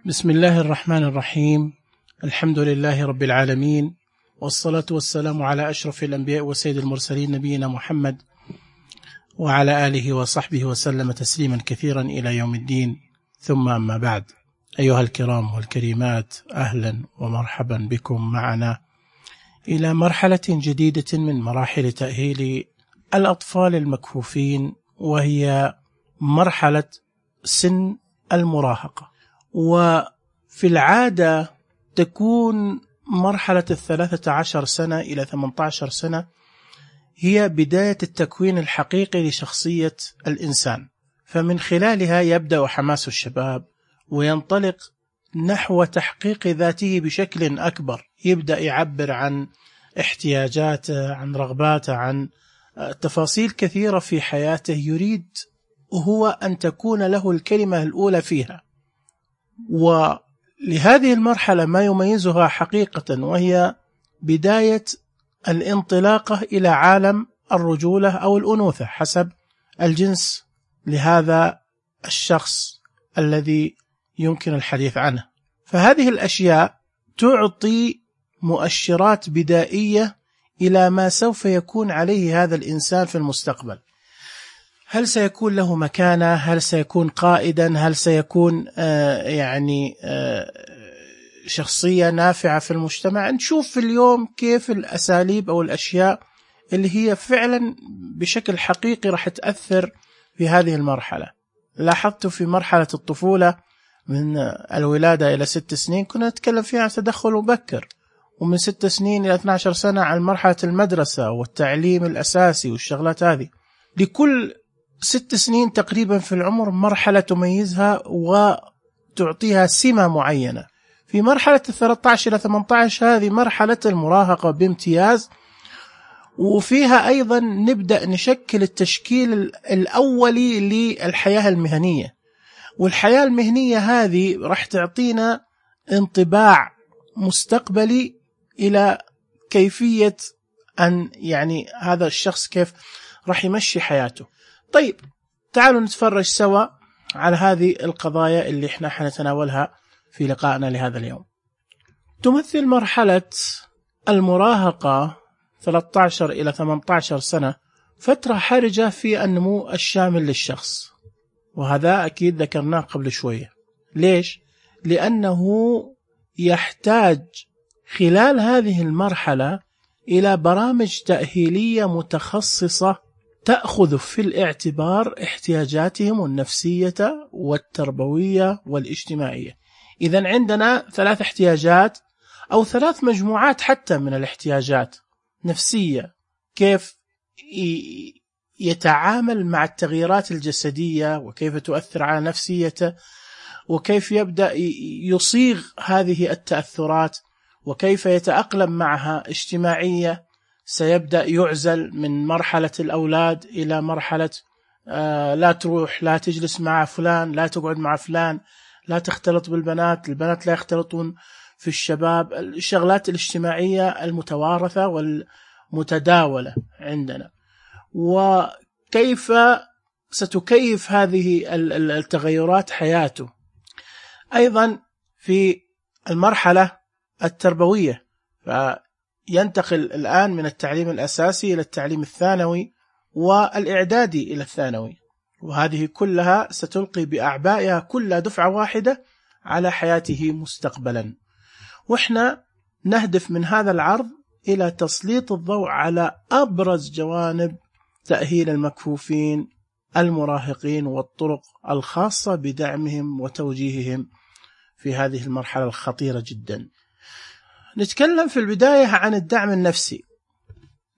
بسم الله الرحمن الرحيم. الحمد لله رب العالمين، والصلاة والسلام على أشرف الأنبياء وسيد المرسلين نبينا محمد وعلى آله وصحبه وسلم تسليما كثيرا إلى يوم الدين. ثم أما بعد، أيها الكرام والكريمات، أهلا ومرحبا بكم معنا إلى مرحلة جديدة من مراحل تأهيل الأطفال المكفوفين، وهي مرحلة سن المراهقة. وفي العادة تكون مرحلة 13 سنة إلى 18 سنة هي بداية التكوين الحقيقي لشخصية الإنسان، فمن خلالها يبدأ حماس الشباب وينطلق نحو تحقيق ذاته بشكل أكبر، يبدأ يعبر عن احتياجاته، عن رغباته، عن تفاصيل كثيرة في حياته يريد هو أن تكون له الكلمة الأولى فيها. ولهذه المرحلة ما يميزها حقيقة، وهي بداية الانطلاقة إلى عالم الرجولة أو الأنوثة حسب الجنس لهذا الشخص الذي يمكن الحديث عنه. فهذه الأشياء تعطي مؤشرات بدائية إلى ما سوف يكون عليه هذا الإنسان في المستقبل. هل سيكون له مكانة؟ هل سيكون قائدا؟ هل سيكون شخصية نافعة في المجتمع؟ نشوف اليوم كيف الأساليب أو الأشياء اللي هي فعلا بشكل حقيقي راح تأثر في هذه المرحلة. لاحظت في مرحلة الطفولة من الولادة إلى 6 سنين كنا نتكلم فيها عن تدخل مبكر، ومن 6 سنين إلى 12 سنة عن مرحلة المدرسة والتعليم الأساسي والشغلات هذه. لكل 6 سنين تقريبا في العمر مرحلة تميزها وتعطيها سمة معينة. في مرحلة 13 إلى 18 هذه مرحلة المراهقة بامتياز، وفيها أيضا نبدأ نشكل التشكيل الأولي للحياة المهنية، والحياة المهنية هذه راح تعطينا انطباع مستقبلي إلى كيفية أن هذا الشخص كيف راح يمشي حياته. طيب تعالوا نتفرج سوا على هذه القضايا اللي احنا حنتناولها في لقائنا لهذا اليوم. تمثل مرحلة المراهقة 13 إلى 18 سنة فترة حرجة في النمو الشامل للشخص، وهذا أكيد ذكرناه قبل شوية. ليش؟ لأنه يحتاج خلال هذه المرحلة إلى برامج تأهيلية متخصصة تأخذ في الاعتبار احتياجاتهم النفسية والتربوية والاجتماعية. إذن عندنا 3 احتياجات أو 3 مجموعات حتى من الاحتياجات: نفسية، كيف يتعامل مع التغييرات الجسدية وكيف تؤثر على نفسيته، وكيف يبدأ يصيغ هذه التأثرات وكيف يتأقلم معها. اجتماعية، سيبدأ يعزل من مرحلة الأولاد إلى مرحلة لا تروح، لا تجلس مع فلان، لا تقعد مع فلان، لا تختلط بالبنات، البنات لا يختلطون في الشباب. الشغلات الاجتماعية المتوارثة والمتداولة عندنا، وكيف ستكيف هذه التغيرات حياته. أيضا في المرحلة التربوية، ينتقل الآن من التعليم الأساسي إلى التعليم الثانوي والإعدادي إلى الثانوي، وهذه كلها ستلقي بأعبائها كل دفعة واحدة على حياته مستقبلا. وإحنا نهدف من هذا العرض إلى تسليط الضوء على أبرز جوانب تأهيل المكفوفين المراهقين والطرق الخاصة بدعمهم وتوجيههم في هذه المرحلة الخطيرة جدا. نتكلم في البداية عن الدعم النفسي.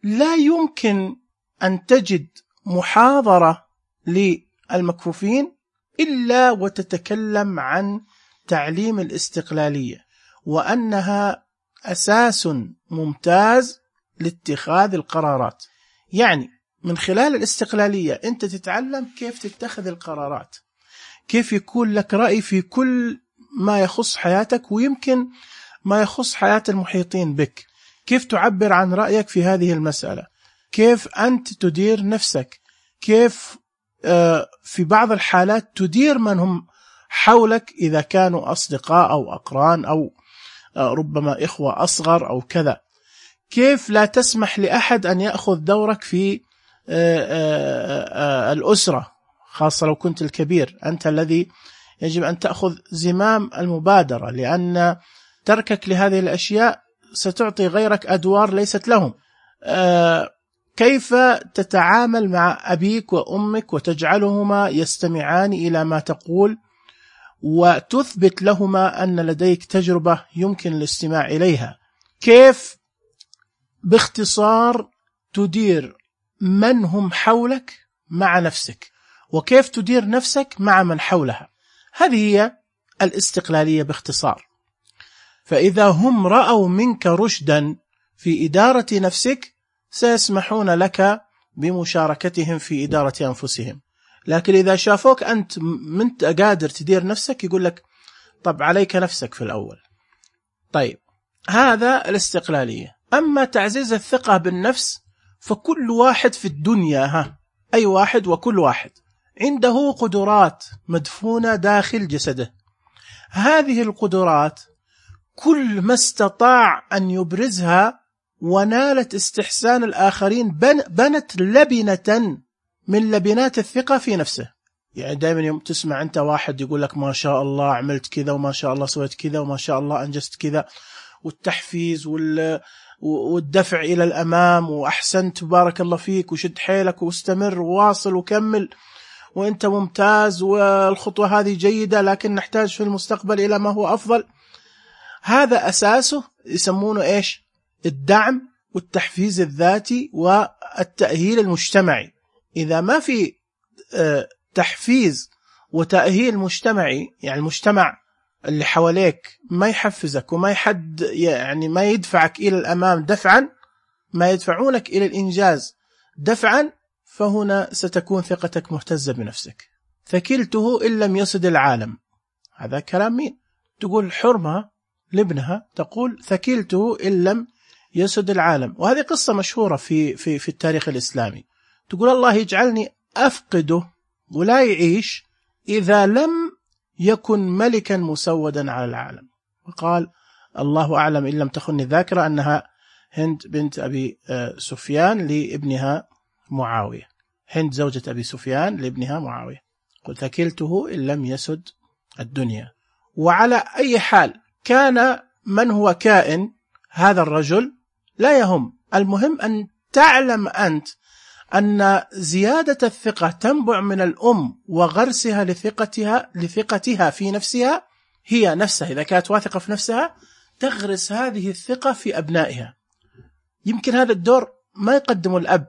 لا يمكن أن تجد محاضرة للمكفوفين إلا وتتكلم عن تعليم الاستقلالية، وأنها أساس ممتاز لاتخاذ القرارات. يعني من خلال الاستقلالية أنت تتعلم كيف تتخذ القرارات، كيف يكون لك رأي في كل ما يخص حياتك ويمكن ما يخص حياة المحيطين بك، كيف تعبر عن رأيك في هذه المسألة، كيف أنت تدير نفسك، كيف في بعض الحالات تدير من هم حولك إذا كانوا أصدقاء أو أقران أو ربما إخوة أصغر أو كذا. كيف لا تسمح لأحد أن يأخذ دورك في الأسرة، خاصة لو كنت الكبير، أنت الذي يجب أن تأخذ زمام المبادرة، لأن تركك لهذه الأشياء ستعطي غيرك أدوار ليست لهم. كيف تتعامل مع أبيك وأمك وتجعلهما يستمعان إلى ما تقول وتثبت لهما أن لديك تجربة يمكن الاستماع إليها. كيف باختصار تدير من هم حولك مع نفسك، وكيف تدير نفسك مع من حولها. هذه هي الاستقلالية باختصار. فإذا هم رأوا منك رشدا في إدارة نفسك سيسمحون لك بمشاركتهم في إدارة أنفسهم، لكن إذا شافوك أنت منت قادر تدير نفسك يقول لك طب عليك نفسك في الأول. طيب هذا الاستقلالية. أما تعزيز الثقة بالنفس فكل واحد في الدنيا، أي واحد وكل واحد عنده قدرات مدفونة داخل جسده. هذه القدرات كل ما استطاع أن يبرزها ونالت استحسان الآخرين بنت لبنة من لبنات الثقة في نفسه. يعني دائما يوم تسمع أنت واحد يقول لك ما شاء الله عملت كذا وما شاء الله سويت كذا وما شاء الله أنجزت كذا، والتحفيز والدفع إلى الأمام وأحسنت بارك الله فيك وشد حيلك واستمر وواصل وكمل وأنت ممتاز والخطوة هذه جيدة لكن نحتاج في المستقبل إلى ما هو أفضل. هذا أساسه يسمونه إيش؟ الدعم والتحفيز الذاتي والتأهيل المجتمعي. إذا ما في تحفيز وتأهيل مجتمعي، يعني المجتمع اللي حواليك ما يحفزك وما يعني ما يدفعك إلى الأمام دفعا، ما يدفعونك إلى الإنجاز دفعا، فهنا ستكون ثقتك مهتزة بنفسك. ثكلته إن لم يسد العالم. هذا كلام مين؟ تقول حرمة لابنها، تقول ثكلته إن لم يسد العالم. وهذه قصة مشهورة في التاريخ الإسلامي. تقول الله يجعلني أفقده ولا يعيش إذا لم يكن ملكا مسودا على العالم. وقال الله أعلم إن لم تخني الذاكرة أنها هند بنت أبي سفيان لابنها معاوية. هند زوجة أبي سفيان لابنها معاوية. قل ثكلته إن لم يسد الدنيا. وعلى أي حال كان من هو كائن هذا الرجل لا يهم، المهم أن تعلم أنت أن زيادة الثقة تنبع من الأم وغرسها لثقتها في نفسها هي نفسها. إذا كانت واثقة في نفسها تغرس هذه الثقة في أبنائها. يمكن هذا الدور ما يقدمه الأب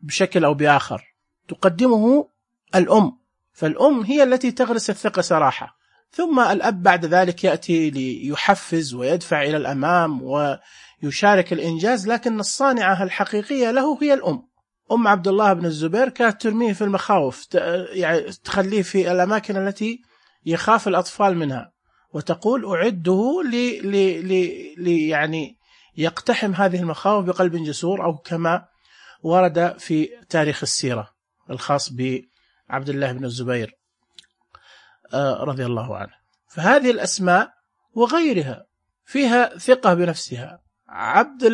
بشكل أو بآخر، تقدمه الأم، فالأم هي التي تغرس الثقة صراحة، ثم الأب بعد ذلك يأتي ليحفز ويدفع إلى الأمام ويشارك الإنجاز، لكن الصانعة الحقيقية له هي الأم. أم عبد الله بن الزبير كانت ترميه في المخاوف، يعني تخليه في الأماكن التي يخاف الأطفال منها، وتقول أعده يعني يقتحم هذه المخاوف بقلب جسور، أو كما ورد في تاريخ السيرة الخاص بعبد الله بن الزبير رضي الله عنه. فهذه الأسماء وغيرها فيها ثقة بنفسها.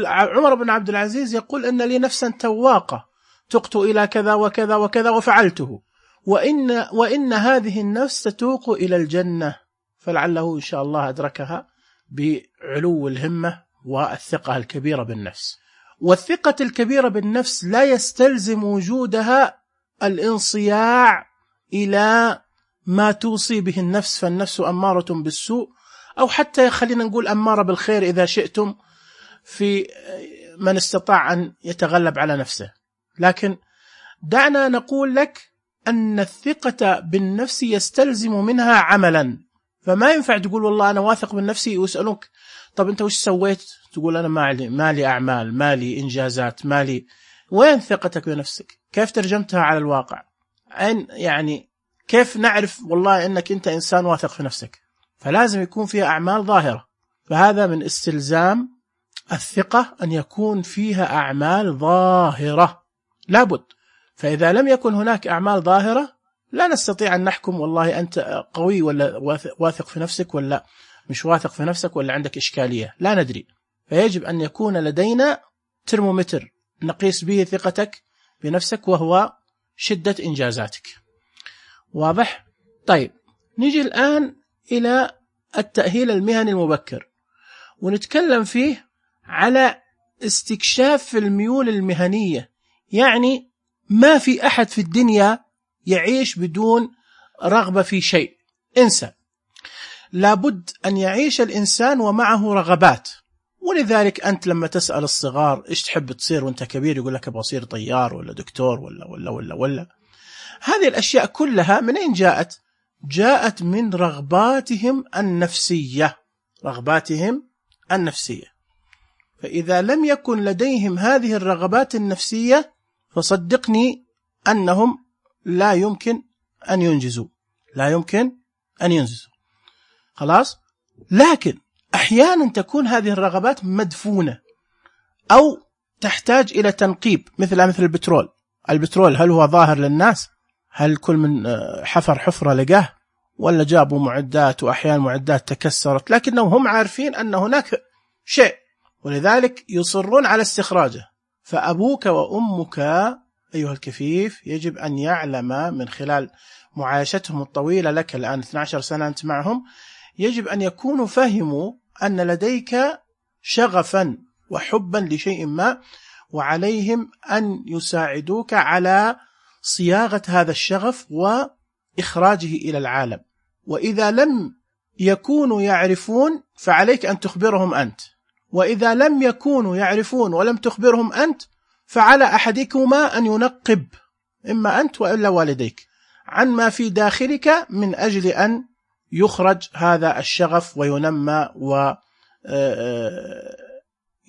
عمر بن عبد العزيز يقول أن لي نفسا تواقة تقت إلى كذا وكذا وكذا وفعلته، وإن هذه النفس تتوق إلى الجنة، فلعله إن شاء الله أدركها بعلو الهمة والثقة الكبيرة بالنفس. والثقة الكبيرة بالنفس لا يستلزم وجودها الانصياع إلى ما توصي به النفس، فالنفس أمارة بالسوء، أو حتى خلينا نقول أمارة بالخير إذا شئتم، في من استطاع أن يتغلب على نفسه. لكن دعنا نقول لك أن الثقة بالنفس يستلزم منها عملا. فما ينفع تقول والله أنا واثق من نفسي ويسألوك طب أنت وش سويت؟ تقول أنا مالي أعمال، مالي إنجازات، مالي. وين ثقتك بنفسك؟ كيف ترجمتها على الواقع؟ يعني كيف نعرف والله أنك أنت إنسان واثق في نفسك؟ فلازم يكون فيها أعمال ظاهرة. فهذا من استلزام الثقة أن يكون فيها أعمال ظاهرة لابد. فإذا لم يكن هناك أعمال ظاهرة لا نستطيع أن نحكم والله أنت قوي ولا واثق في نفسك ولا مش واثق في نفسك ولا عندك إشكالية، لا ندري. فيجب أن يكون لدينا ترمومتر نقيس به ثقتك بنفسك وهو شدة إنجازاتك. واضح؟ طيب نيجي الآن إلى التأهيل المهني المبكر، ونتكلم فيه على استكشاف الميول المهنية. يعني ما في أحد في الدنيا يعيش بدون رغبة في شيء، انسى. لابد أن يعيش الإنسان ومعه رغبات. ولذلك أنت لما تسأل الصغار إيش تحب تصير وأنت كبير، يقول لك أبغى أصير طيار ولا دكتور ولا. هذه الأشياء كلها من أين جاءت؟ جاءت من رغباتهم النفسية، رغباتهم النفسية. فإذا لم يكن لديهم هذه الرغبات النفسية فصدقني أنهم لا يمكن أن ينجزوا، لا يمكن أن ينجزوا. خلاص؟ لكن أحيانا تكون هذه الرغبات مدفونة أو تحتاج إلى تنقيب، مثل البترول. البترول هل هو ظاهر للناس؟ هل كل من حفر حفرة لقاه؟ ولا جابوا معدات، وأحيانا معدات تكسرت، لكنهم هم عارفين أن هناك شيء ولذلك يصرون على استخراجه. فأبوك وأمك أيها الكفيف يجب أن يعلم من خلال معايشتهم الطويلة لك الآن 12 سنة أنت معهم، يجب أن يكونوا فهموا أن لديك شغفا وحبا لشيء ما، وعليهم أن يساعدوك على صياغة هذا الشغف وإخراجه إلى العالم. وإذا لم يكونوا يعرفون فعليك أن تخبرهم أنت، وإذا لم يكونوا يعرفون ولم تخبرهم أنت فعلى أحدكما أن ينقب، إما أنت وإلا والديك، عن ما في داخلك من أجل أن يخرج هذا الشغف وينمى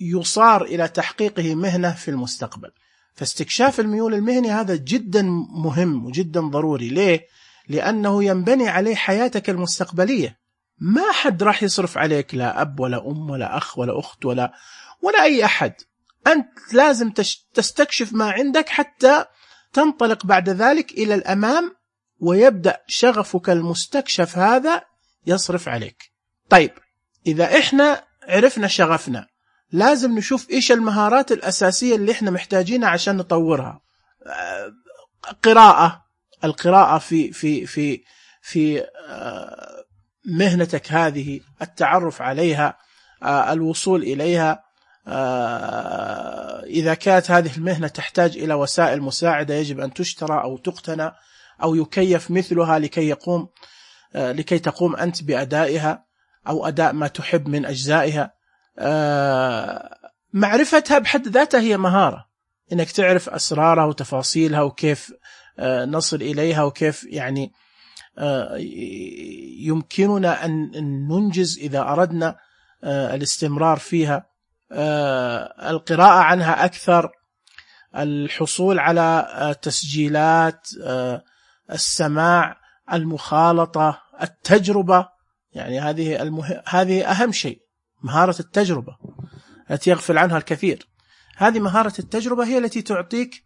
ويصار إلى تحقيقه مهنة في المستقبل. فاستكشاف الميول المهني هذا جدا مهم وجدا ضروري. ليه؟ لأنه ينبني عليه حياتك المستقبلية. ما حد راح يصرف عليك، لا أب ولا أم ولا أخ ولا أخت ولا أي أحد. أنت لازم تستكشف ما عندك حتى تنطلق بعد ذلك إلى الأمام، ويبدأ شغفك المستكشف هذا يصرف عليك. طيب إذا إحنا عرفنا شغفنا، لازم نشوف إيش المهارات الأساسية اللي إحنا محتاجينها عشان نطورها. القراءة في مهنتك هذه، التعرف عليها، الوصول إليها. إذا كانت هذه المهنة تحتاج إلى وسائل مساعدة يجب أن تشترى أو تقتنى أو يكيف مثلها لكي تقوم أنت بأدائها أو أداء ما تحب من أجزائها. معرفتها بحد ذاتها هي مهارة، إنك تعرف أسرارها وتفاصيلها وكيف نصل إليها، وكيف يعني يمكننا أن ننجز إذا أردنا الاستمرار فيها. القراءة عنها أكثر، الحصول على تسجيلات، السماع، المخالطة، التجربة. يعني هذه أهم شيء، مهارة التجربة التي يغفل عنها الكثير. هذه مهارة التجربة هي التي تعطيك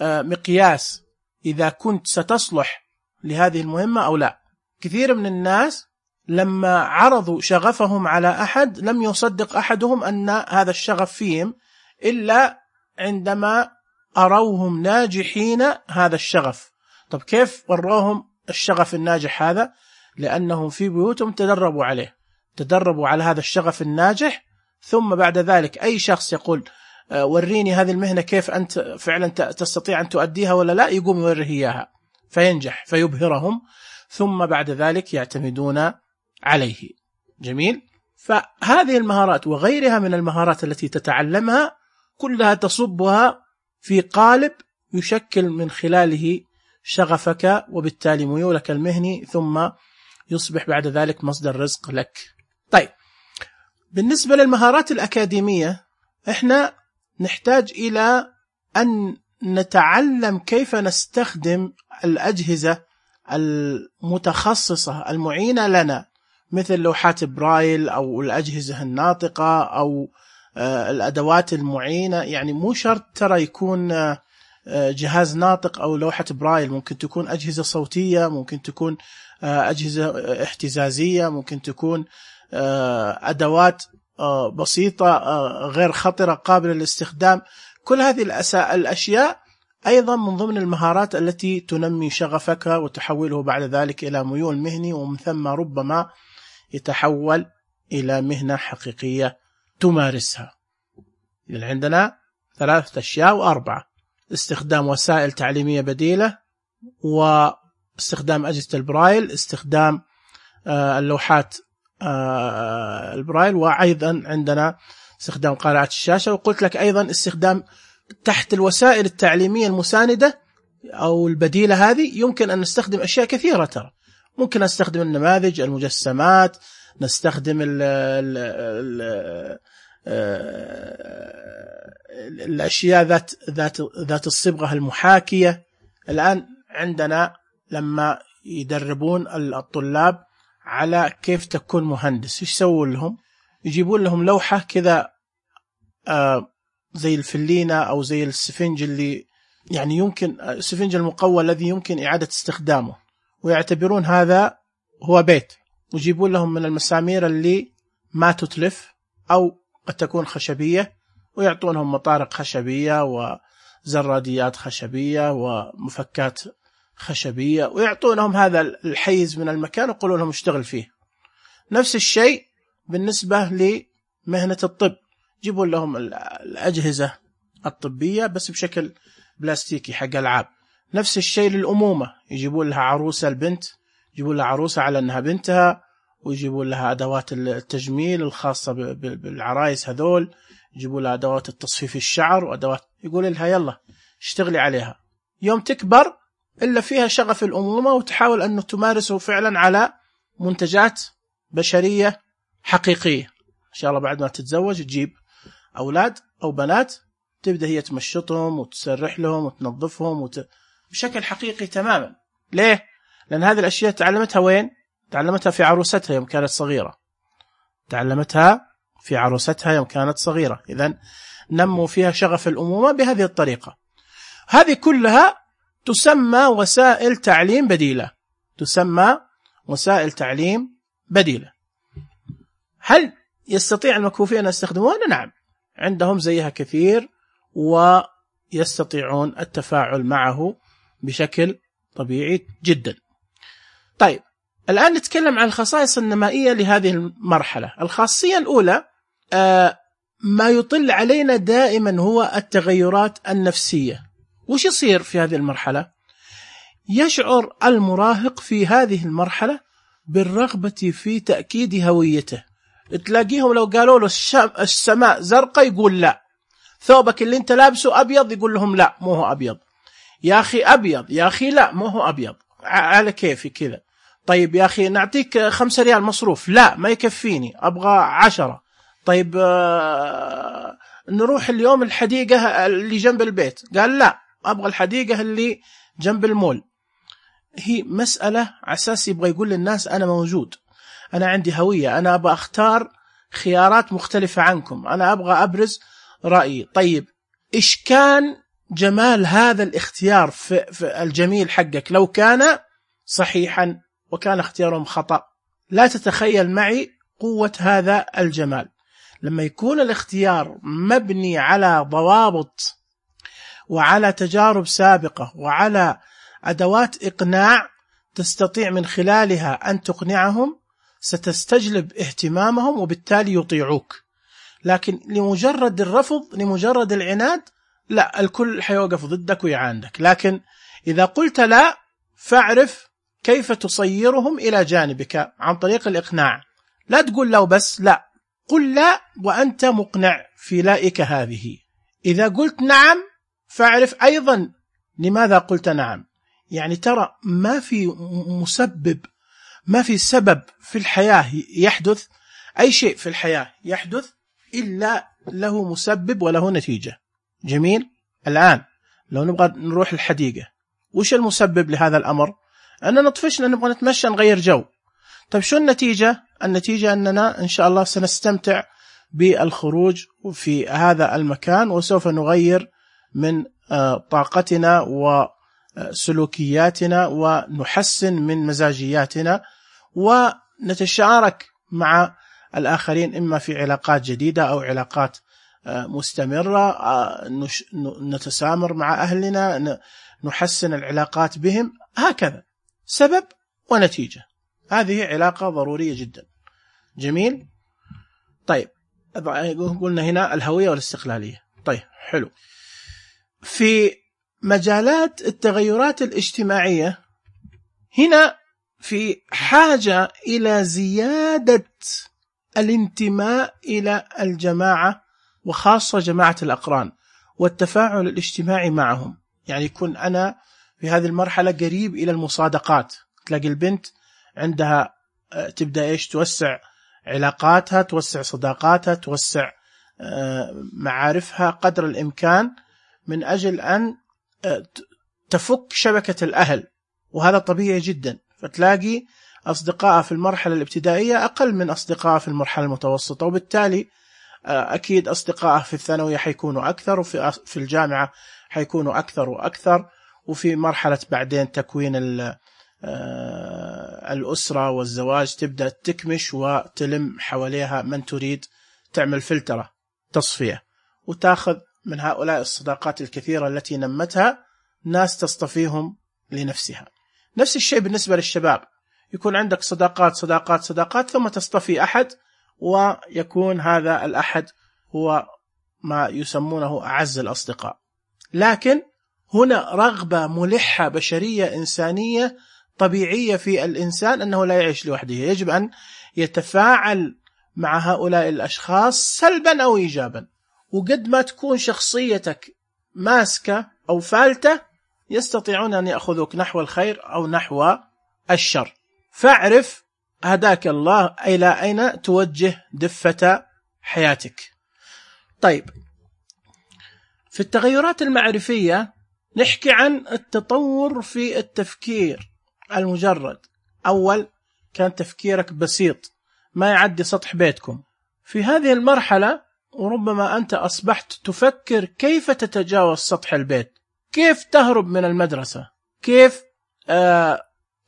مقياس إذا كنت ستصلح لهذه المهمة أو لا. كثير من الناس لما عرضوا شغفهم على أحد لم يصدق أحدهم أن هذا الشغف فيهم إلا عندما أروهم ناجحين هذا الشغف. طب كيف وروهم الشغف الناجح هذا؟ لأنهم في بيوتهم تدربوا على هذا الشغف الناجح. ثم بعد ذلك أي شخص يقول وريني هذه المهنة كيف أنت فعلا تستطيع أن تؤديها ولا لا، يقوم يوريه إياها فينجح فيبهرهم، ثم بعد ذلك يعتمدون عليه. جميل. فهذه المهارات وغيرها من المهارات التي تتعلمها كلها تصبها في قالب يشكل من خلاله شغفك وبالتالي ميولك المهني، ثم يصبح بعد ذلك مصدر رزق لك. طيب بالنسبة للمهارات الأكاديمية، احنا نحتاج إلى أن نتعلم كيف نستخدم الأجهزة المتخصصة المعينة لنا، مثل لوحات برايل أو الأجهزة الناطقة أو الأدوات المعينة. يعني مو شرط ترى يكون جهاز ناطق أو لوحة برايل، ممكن تكون أجهزة صوتية، ممكن تكون أجهزة اهتزازية، ممكن تكون أدوات بسيطة غير خطرة قابلة للاستخدام. كل هذه الأشياء أيضا من ضمن المهارات التي تنمي شغفك وتحوله بعد ذلك إلى ميول مهني، ومن ثم ربما يتحول إلى مهنة حقيقية تمارسها. يعني عندنا 3 أشياء و4: استخدام وسائل تعليمية بديلة، واستخدام أجهزة البرايل، استخدام اللوحات البرايل، وأيضا عندنا استخدام قارعة الشاشة. وقلت لك أيضا استخدام تحت الوسائل التعليمية المساندة أو البديلة هذه يمكن أن نستخدم أشياء كثيرة. ترى ممكن نستخدم النماذج، المجسمات، نستخدم الأشياء ذات الصبغة المحاكية. الآن عندنا لما يدربون الطلاب على كيف تكون مهندس، إيش يسوون لهم؟ يجيبون لهم لوحة كذا زي الفلينة أو زي السفنج، اللي يعني يمكن السفنج المقوى الذي يمكن إعادة استخدامه، ويعتبرون هذا هو بيت، ويجيبون لهم من المسامير اللي ما تتلف أو قد تكون خشبية، ويعطونهم مطارق خشبية وزراديات خشبية ومفكات خشبية، ويعطونهم هذا الحيز من المكان ويقولون لهم اشتغل فيه. نفس الشيء بالنسبة لمهنة الطب، يجيبون لهم الأجهزة الطبية بس بشكل بلاستيكي حق ألعاب. نفس الشيء للأمومة، يجيبون لها عروسة البنت، يجيبون لها عروسة على أنها بنتها، ويجيبون لها أدوات التجميل الخاصة بالعرايس هذول، يجيبون لها أدوات التصفيف الشعر وأدوات، يقول لها يلا اشتغلي عليها. يوم تكبر إلا فيها شغف الأمومة وتحاول أن تمارسه فعلا على منتجات بشرية حقيقية. إن شاء الله بعد ما تتزوج تجيب أولاد أو بنات، تبدأ هي تمشطهم وتسرح لهم وتنظفهم بشكل حقيقي تماما. ليه؟ لأن هذه الأشياء تعلمتها وين؟ تعلمتها في عروستها يوم كانت صغيرة، تعلمتها في عروستها يوم كانت صغيرة. إذن نموا فيها شغف الأمومة بهذه الطريقة. هذه كلها تسمى وسائل تعليم بديلة، تسمى وسائل تعليم بديلة. هل يستطيع المكفوفين أن يستخدمونها؟ نعم، عندهم زيها كثير ويستطيعون التفاعل معه بشكل طبيعي جدا. طيب الآن نتكلم عن الخصائص النمائية لهذه المرحلة. الخاصية الأولى ما يطل علينا دائما هو التغيرات النفسية. وش يصير في هذه المرحلة؟ يشعر المراهق في هذه المرحلة بالرغبة في تأكيد هويته. تلاقيهم لو قالوا له السماء زرقاء يقول لا، ثوبك اللي انت لابسه أبيض يقول لهم لا مو هو أبيض، يا أخي أبيض، يا أخي لا مو هو أبيض، على كيفي كذا. طيب يا أخي نعطيك 5 ريال مصروف، لا ما يكفيني أبغى 10. طيب نروح اليوم الحديقة اللي جنب البيت، قال لا أبغى الحديقة اللي جنب المول. هي مسألة أساس يبغى يقول للناس أنا موجود، أنا عندي هوية، أنا أبغى أختار خيارات مختلفة عنكم، أنا أبغى أبرز رأيي. طيب إيش كان جمال هذا الاختيار في الجميل حقك لو كان صحيحا وكان اختيارهم خطأ؟ لا تتخيل معي قوة هذا الجمال لما يكون الاختيار مبني على ضوابط وعلى تجارب سابقة وعلى أدوات إقناع تستطيع من خلالها أن تقنعهم، ستستجلب اهتمامهم وبالتالي يطيعوك. لكن لمجرد الرفض، لمجرد العناد، لا، الكل حيوقف ضدك ويعاندك. لكن إذا قلت لا فاعرف كيف تصيرهم إلى جانبك عن طريق الإقناع. لا تقول لا وبس، لا، قل لا وأنت مقنع في لائك هذه. إذا قلت نعم فاعرف أيضا لماذا قلت نعم. يعني ترى ما في مسبب، ما في سبب في الحياة يحدث، أي شيء في الحياة يحدث إلا له مسبب وله نتيجة. جميل. الآن لو نبغى نروح الحديقة، وش المسبب لهذا الأمر؟ أننا طفشنا نبغى نتمشى نغير جو. طيب شو النتيجة؟ النتيجة أننا إن شاء الله سنستمتع بالخروج في هذا المكان وسوف نغير من طاقتنا وسلوكياتنا ونحسن من مزاجياتنا ونتشارك مع الآخرين، إما في علاقات جديدة أو علاقات مستمرة، نتسامر مع أهلنا، نحسن العلاقات بهم، هكذا سبب ونتيجة. هذه علاقة ضرورية جدا. جميل. طيب قلنا هنا الهوية والاستقلالية. طيب حلو. في مجالات التغيرات الاجتماعية هنا في حاجة إلى زيادة الانتماء إلى الجماعة، وخاصة جماعة الأقران، والتفاعل الاجتماعي معهم. يعني يكون أنا في هذه المرحلة قريب إلى المصادقات. تلاقي البنت عندها تبدأ توسع علاقاتها، توسع صداقاتها، توسع معارفها قدر الإمكان من أجل أن تفك شبكة الأهل، وهذا طبيعي جدا. فتلاقي أصدقائها في المرحلة الابتدائية أقل من أصدقائها في المرحلة المتوسطة، وبالتالي أكيد أصدقائها في الثانوية حيكونوا أكثر، وفي الجامعة حيكونوا أكثر وأكثر، وفي مرحلة بعدين تكوين الأسرة والزواج تبدأ تكمش وتلم حواليها من تريد، تعمل فلترة تصفية، وتأخذ من هؤلاء الصداقات الكثيرة التي نمتها ناس تصطفيهم لنفسها. نفس الشيء بالنسبة للشباب، يكون عندك صداقات صداقات صداقات، ثم تصطفي أحد، ويكون هذا الأحد هو ما يسمونه أعز الأصدقاء. لكن هنا رغبة ملحة بشرية إنسانية طبيعية في الإنسان أنه لا يعيش لوحده، يجب أن يتفاعل مع هؤلاء الأشخاص سلبا أو إيجابا. وقد ما تكون شخصيتك ماسكة أو فالتة يستطيعون أن يأخذوك نحو الخير أو نحو الشر. فاعرف هداك الله إلى أين توجه دفة حياتك. طيب في التغيرات المعرفية نحكي عن التطور في التفكير المجرد. أول كان تفكيرك بسيط ما يعدي سطح بيتكم. في هذه المرحلة وربما أنت أصبحت تفكر كيف تتجاوز سطح البيت، كيف تهرب من المدرسة، كيف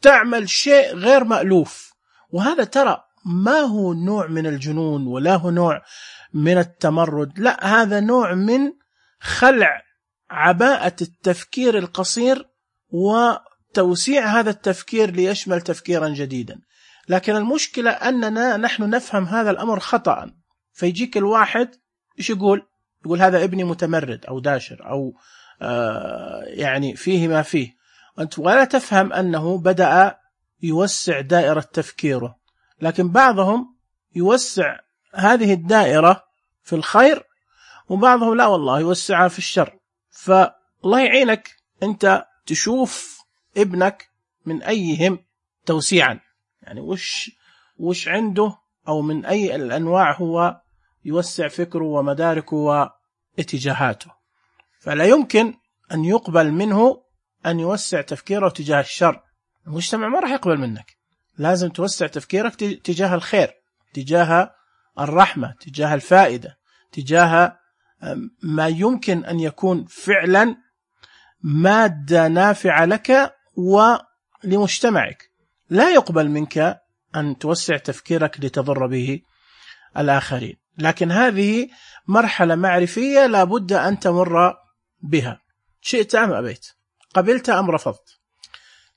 تعمل شيء غير مألوف. وهذا ترى ما هو نوع من الجنون ولا هو نوع من التمرد، لا، هذا نوع من خلع عباءة التفكير القصير وتوسيع هذا التفكير ليشمل تفكيرا جديدا. لكن المشكلة أننا نحن نفهم هذا الأمر خطأ. فيجيك الواحد إيش يقول هذا ابني متمرد أو داشر أو يعني فيه ما فيه، أنت ولا تفهم أنه بدأ يوسع دائرة تفكيره. لكن بعضهم يوسع هذه الدائرة في الخير، وبعضهم لا والله يوسعها في الشر. فالله يعينك أنت تشوف ابنك من أيهم توسيعا، يعني وش عنده أو من أي الأنواع هو يوسع فكره ومداركه واتجاهاته. فلا يمكن أن يقبل منه أن يوسع تفكيره تجاه الشر. المجتمع ما راح يقبل منك. لازم توسع تفكيرك تجاه الخير، تجاه الرحمة، تجاه الفائدة، تجاه ما يمكن أن يكون فعلا مادة نافعة لك ولمجتمعك. لا يقبل منك أن توسع تفكيرك لتضر به الآخرين. لكن هذه مرحلة معرفية لابد أن تمر بها، شئت أم أبيت، قبلت أم رفضت.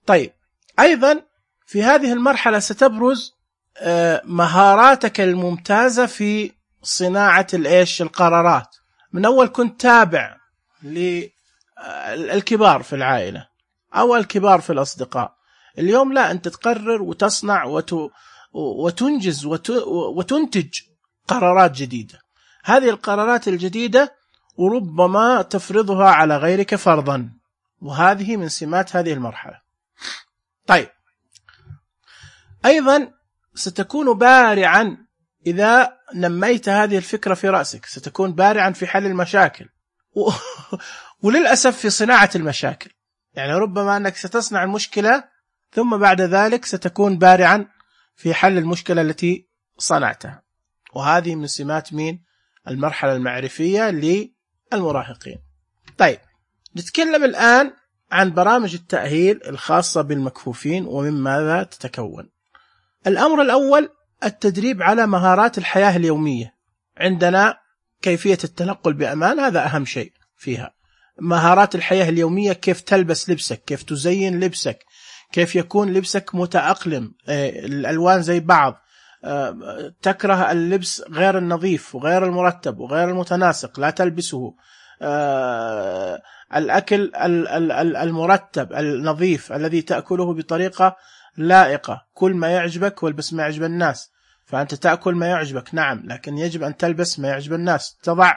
طيب أيضا في هذه المرحلة ستبرز مهاراتك الممتازة في صناعة القرارات. من أول كنت تابع للكبار في العائلة أو الكبار في الأصدقاء، اليوم لا، أنت تقرر وتصنع وتنجز وتنتج قرارات جديدة. هذه القرارات الجديدة وربما تفرضها على غيرك فرضا، وهذه من سمات هذه المرحلة. طيب أيضا ستكون بارعا إذا نميت هذه الفكرة في رأسك، ستكون بارعا في حل المشاكل وللأسف في صناعة المشاكل. يعني ربما أنك ستصنع المشكلة ثم بعد ذلك ستكون بارعا في حل المشكلة التي صنعتها. وهذه من سمات المرحلة المعرفية للمراهقين. طيب نتكلم الآن عن برامج التأهيل الخاصة بالمكفوفين ومن ماذا تتكون. الأمر الأول التدريب على مهارات الحياة اليومية. عندنا كيفية التنقل بأمان، هذا أهم شيء فيها. مهارات الحياة اليومية، كيف تلبس لبسك، كيف تزين لبسك، كيف يكون لبسك متأقلم، الألوان زي بعض، تكره اللبس غير النظيف وغير المرتب وغير المتناسق لا تلبسه، الأكل المرتب النظيف الذي تأكله بطريقة لائقة، كل ما يعجبك والبس ما يعجب الناس. فأنت تأكل ما يعجبك نعم، لكن يجب أن تلبس ما يعجب الناس، تضع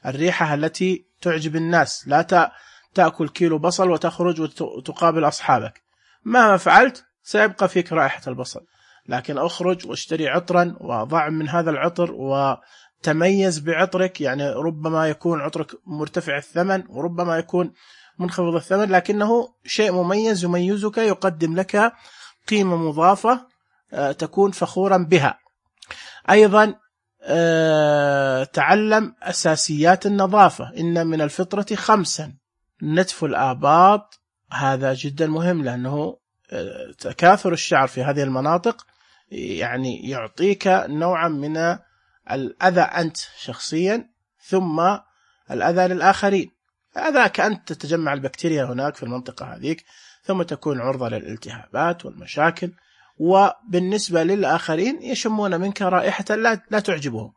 الريحة التي تعجب الناس، لا تأكل كيلو بصل وتخرج وتقابل أصحابك، مهما فعلت سيبقى فيك رائحة البصل. لكن أخرج واشتري عطرا وضع من هذا العطر وتميز بعطرك، يعني ربما يكون عطرك مرتفع الثمن وربما يكون منخفض الثمن، لكنه شيء مميز يميزك، يقدم لك قيمة مضافة تكون فخورا بها. أيضا تعلم أساسيات النظافة. إن من الفطرة 5 نتف الآباط، هذا جدا مهم، لأنه تكاثر الشعر في هذه المناطق يعني يعطيك نوعا من الأذى أنت شخصيا، ثم الأذى للآخرين. أذاك أنت تتجمع البكتيريا هناك في المنطقة هذيك، ثم تكون عرضة للالتهابات والمشاكل، وبالنسبة للآخرين يشمون منك رائحة لا تعجبهم.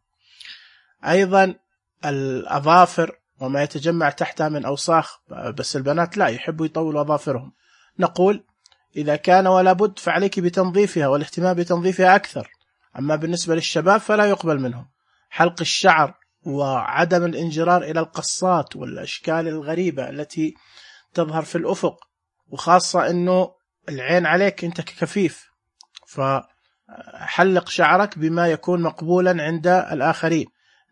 أيضا الأظافر وما يتجمع تحتها من أوساخ، بس البنات لا يحبوا يطولوا أظافرهم. نقول إذا كان ولا بد فعليك بتنظيفها والاهتمام بتنظيفها أكثر. أما بالنسبة للشباب فلا يقبل منهم حلق الشعر وعدم الانجرار إلى القصات والأشكال الغريبة التي تظهر في الأفق، وخاصة أنه العين عليك أنت ككفيف، فحلق شعرك بما يكون مقبولا عند الآخرين.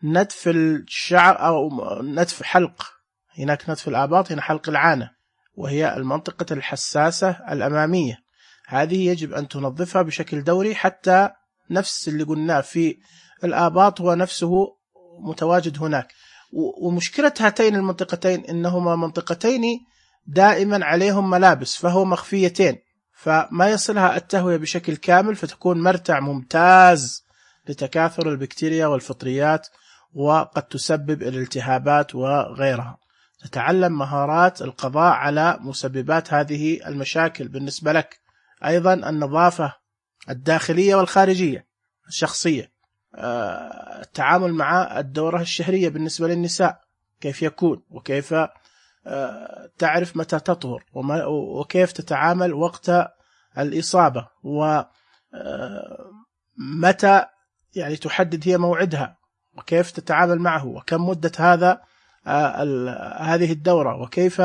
نتف الشعر أو نتف حلق، هناك نتف الآباط، هنا حلق العانة وهي المنطقة الحساسة الأمامية، هذه يجب أن تنظفها بشكل دوري، حتى نفس اللي قلناه في الآباط هو نفسه متواجد هناك. ومشكلة هاتين المنطقتين إنهما منطقتين دائما عليهم ملابس، فهو مخفيتين، فما يصلها التهوية بشكل كامل، فتكون مرتع ممتاز لتكاثر البكتيريا والفطريات، وقد تسبب الالتهابات وغيرها. تتعلم مهارات القضاء على مسببات هذه المشاكل بالنسبة لك. أيضا النظافة الداخلية والخارجية الشخصية، التعامل مع الدورة الشهرية بالنسبة للنساء كيف يكون، وكيف تعرف متى تطهر، وكيف تتعامل وقت الإصابة، ومتى يعني تحدد هي موعدها، وكيف تتعامل معه، وكم مدة هذه الدورة، وكيف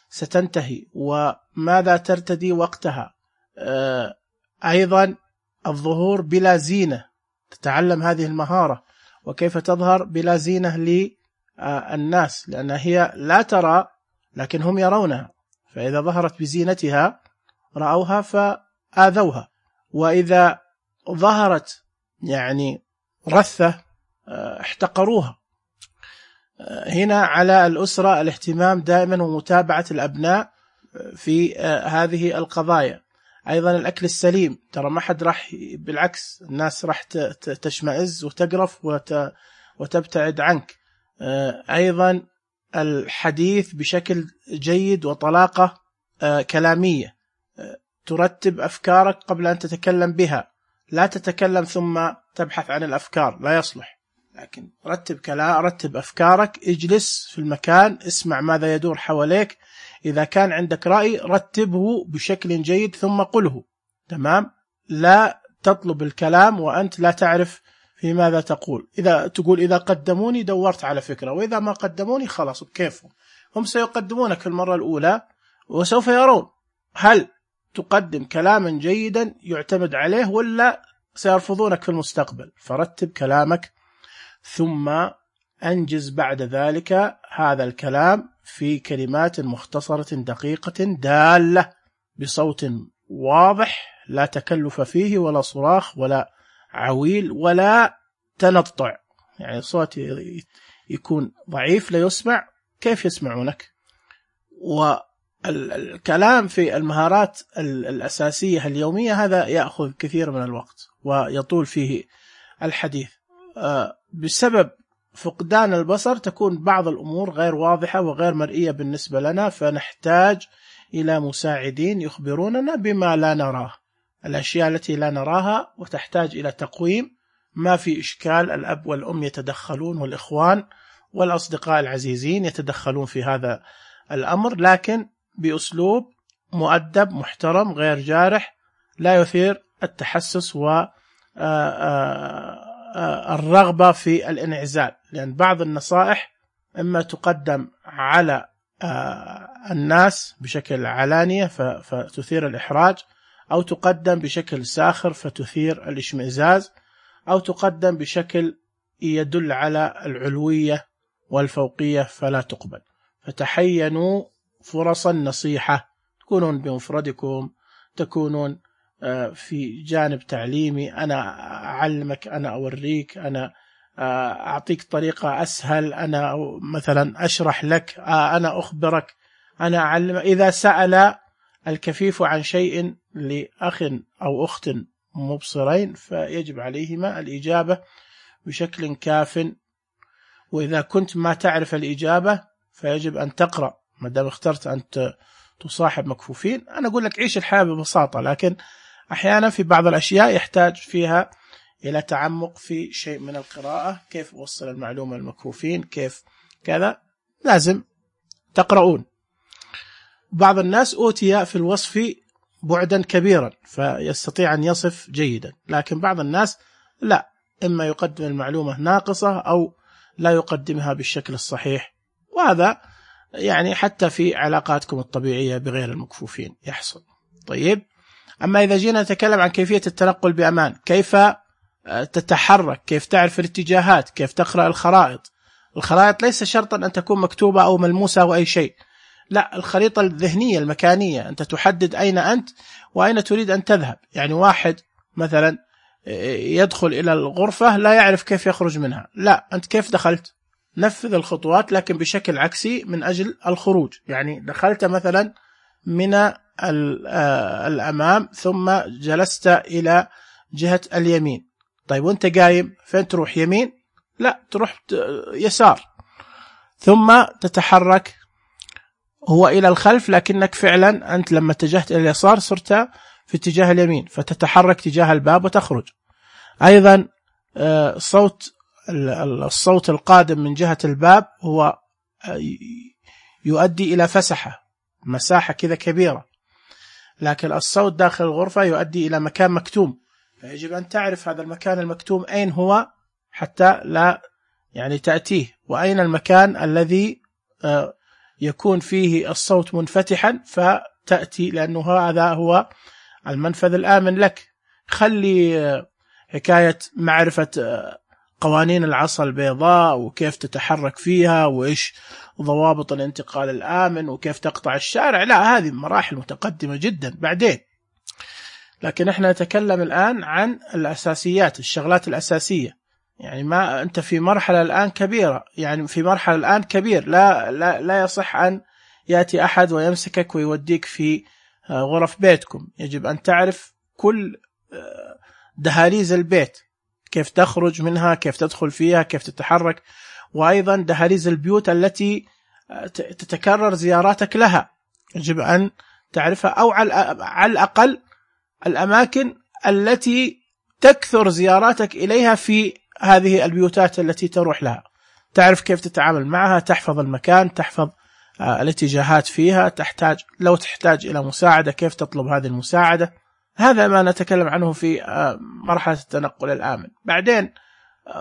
ستنتهي، وماذا ترتدي وقتها. أيضا الظهور بلا زينة، تتعلم هذه المهارة، وكيف تظهر بلا زينة للناس، لأن هي لا ترى لكن هم يرونها، فإذا ظهرت بزينتها رأوها فآذوها، وإذا ظهرت يعني رثة احتقروها. هنا على الأسرة الاهتمام دائما ومتابعة الأبناء في هذه القضايا. أيضا الأكل السليم، ترى ما حد راح، بالعكس الناس راح تشمئز وتقرف وتبتعد عنك. أيضا الحديث بشكل جيد وطلاقة كلامية، ترتب أفكارك قبل أن تتكلم بها، لا تتكلم ثم تبحث عن الأفكار، لا يصلح، لكن رتب أفكارك، اجلس في المكان، اسمع ماذا يدور حواليك، إذا كان عندك رأي رتبه بشكل جيد ثم قله، تمام؟ لا تطلب الكلام وأنت لا تعرف في ماذا تقول. إذا قدموني دورت على فكرة، وإذا ما قدموني خلاص بكيفهم، هم سيقدمونك في المرة الأولى وسوف يرون هل تقدم كلاما جيدا يعتمد عليه ولا سيرفضونك في المستقبل. فرتب كلامك ثم أنجز بعد ذلك هذا الكلام في كلمات مختصرة دقيقة دالة بصوت واضح، لا تكلف فيه ولا صراخ ولا عويل ولا تنطع، يعني صوت يكون ضعيف لا يسمع، كيف يسمعونك؟ والكلام في المهارات الأساسية اليومية هذا يأخذ كثير من الوقت ويطول فيه الحديث. بسبب فقدان البصر تكون بعض الأمور غير واضحة وغير مرئية بالنسبة لنا، فنحتاج إلى مساعدين يخبروننا بما لا نراه، الأشياء التي لا نراها، وتحتاج إلى تقويم. ما في إشكال، الأب والأم يتدخلون والإخوان والأصدقاء العزيزين يتدخلون في هذا الأمر، لكن بأسلوب مؤدب محترم غير جارح، لا يثير التحسس والرغبة في الانعزال، لأن بعض النصائح إما تقدم على الناس بشكل علانية فتثير الإحراج، أو تقدم بشكل ساخر فتثير الاشمئزاز، أو تقدم بشكل يدل على العلوية والفوقية فلا تقبل. فتحينوا فرص النصيحة، تكونون بمفردكم، تكونون في جانب تعليمي، أنا أعلمك، أنا أوريك، أنا أعطيك طريقة أسهل، أنا مثلا أشرح لك، أنا أخبرك، أنا أعلم. إذا سأل الكفيف عن شيء لأخ أو أخت مبصرين فيجب عليهما الإجابة بشكل كاف، وإذا كنت ما تعرف الإجابة فيجب أن تقرأ. ما دام اخترت أن تصاحب مكفوفين، أنا أقول لك عيش الحياة ببساطة، لكن أحيانا في بعض الأشياء يحتاج فيها إلى تعمق في شيء من القراءة، كيف أوصل المعلومة للمكفوفين، كيف كذا، لازم تقرؤون. بعض الناس أوتي في الوصف بعدا كبيرا فيستطيع أن يصف جيدا، لكن بعض الناس لا، إما يقدم المعلومة ناقصة أو لا يقدمها بالشكل الصحيح، وهذا يعني حتى في علاقاتكم الطبيعية بغير المكفوفين يحصل. طيب، أما إذا جينا نتكلم عن كيفية التنقل بأمان، كيف تتحرك، كيف تعرف الاتجاهات، كيف تقرأ الخرائط. الخرائط ليس شرطا أن تكون مكتوبة أو ملموسة أو أي شيء، لا، الخريطة الذهنية المكانية، أنت تحدد أين أنت وأين تريد أن تذهب. يعني واحد مثلا يدخل إلى الغرفة لا يعرف كيف يخرج منها، لا، أنت كيف دخلت؟ نفذ الخطوات لكن بشكل عكسي من أجل الخروج. يعني دخلت مثلا من الأمام ثم جلست إلى جهة اليمين، طيب وانت قايم فين تروح؟ يمين؟ لا، تروح يسار، ثم تتحرك هو إلى الخلف، لكنك فعلا أنت لما اتجهت إلى اليسار صرت في اتجاه اليمين، فتتحرك تجاه الباب وتخرج. أيضا الصوت القادم من جهة الباب هو يؤدي إلى فسحة، مساحة كذا كبيرة، لكن الصوت داخل الغرفة يؤدي إلى مكان مكتوم، فيجب أن تعرف هذا المكان المكتوم أين هو حتى لا يعني تأتيه، وأين المكان الذي يكون فيه الصوت منفتحا فتأتي، لأنه هذا هو المنفذ الآمن لك. خلي حكاية معرفة قوانين العصا البيضاء وكيف تتحرك فيها وإيش ضوابط الانتقال الآمن وكيف تقطع الشارع، لا، هذه مراحل متقدمة جدا بعدين. لكن احنا نتكلم الآن عن الأساسيات، الشغلات الأساسية. يعني ما أنت في مرحلة الآن كبيرة، يعني في مرحلة الآن كبير، لا يصح أن يأتي أحد ويمسكك ويوديك في غرف بيتكم. يجب أن تعرف كل دهاليز البيت، كيف تخرج منها، كيف تدخل فيها، كيف تتحرك، وأيضا دهاليز البيوت التي تتكرر زياراتك لها يجب أن تعرفها، أو على الأقل الأماكن التي تكثر زياراتك إليها في هذه البيوتات التي تروح لها، تعرف كيف تتعامل معها، تحفظ المكان، تحفظ الاتجاهات فيها، لو تحتاج إلى مساعدة كيف تطلب هذه المساعدة. هذا ما نتكلم عنه في مرحلة التنقل الآمن. بعدين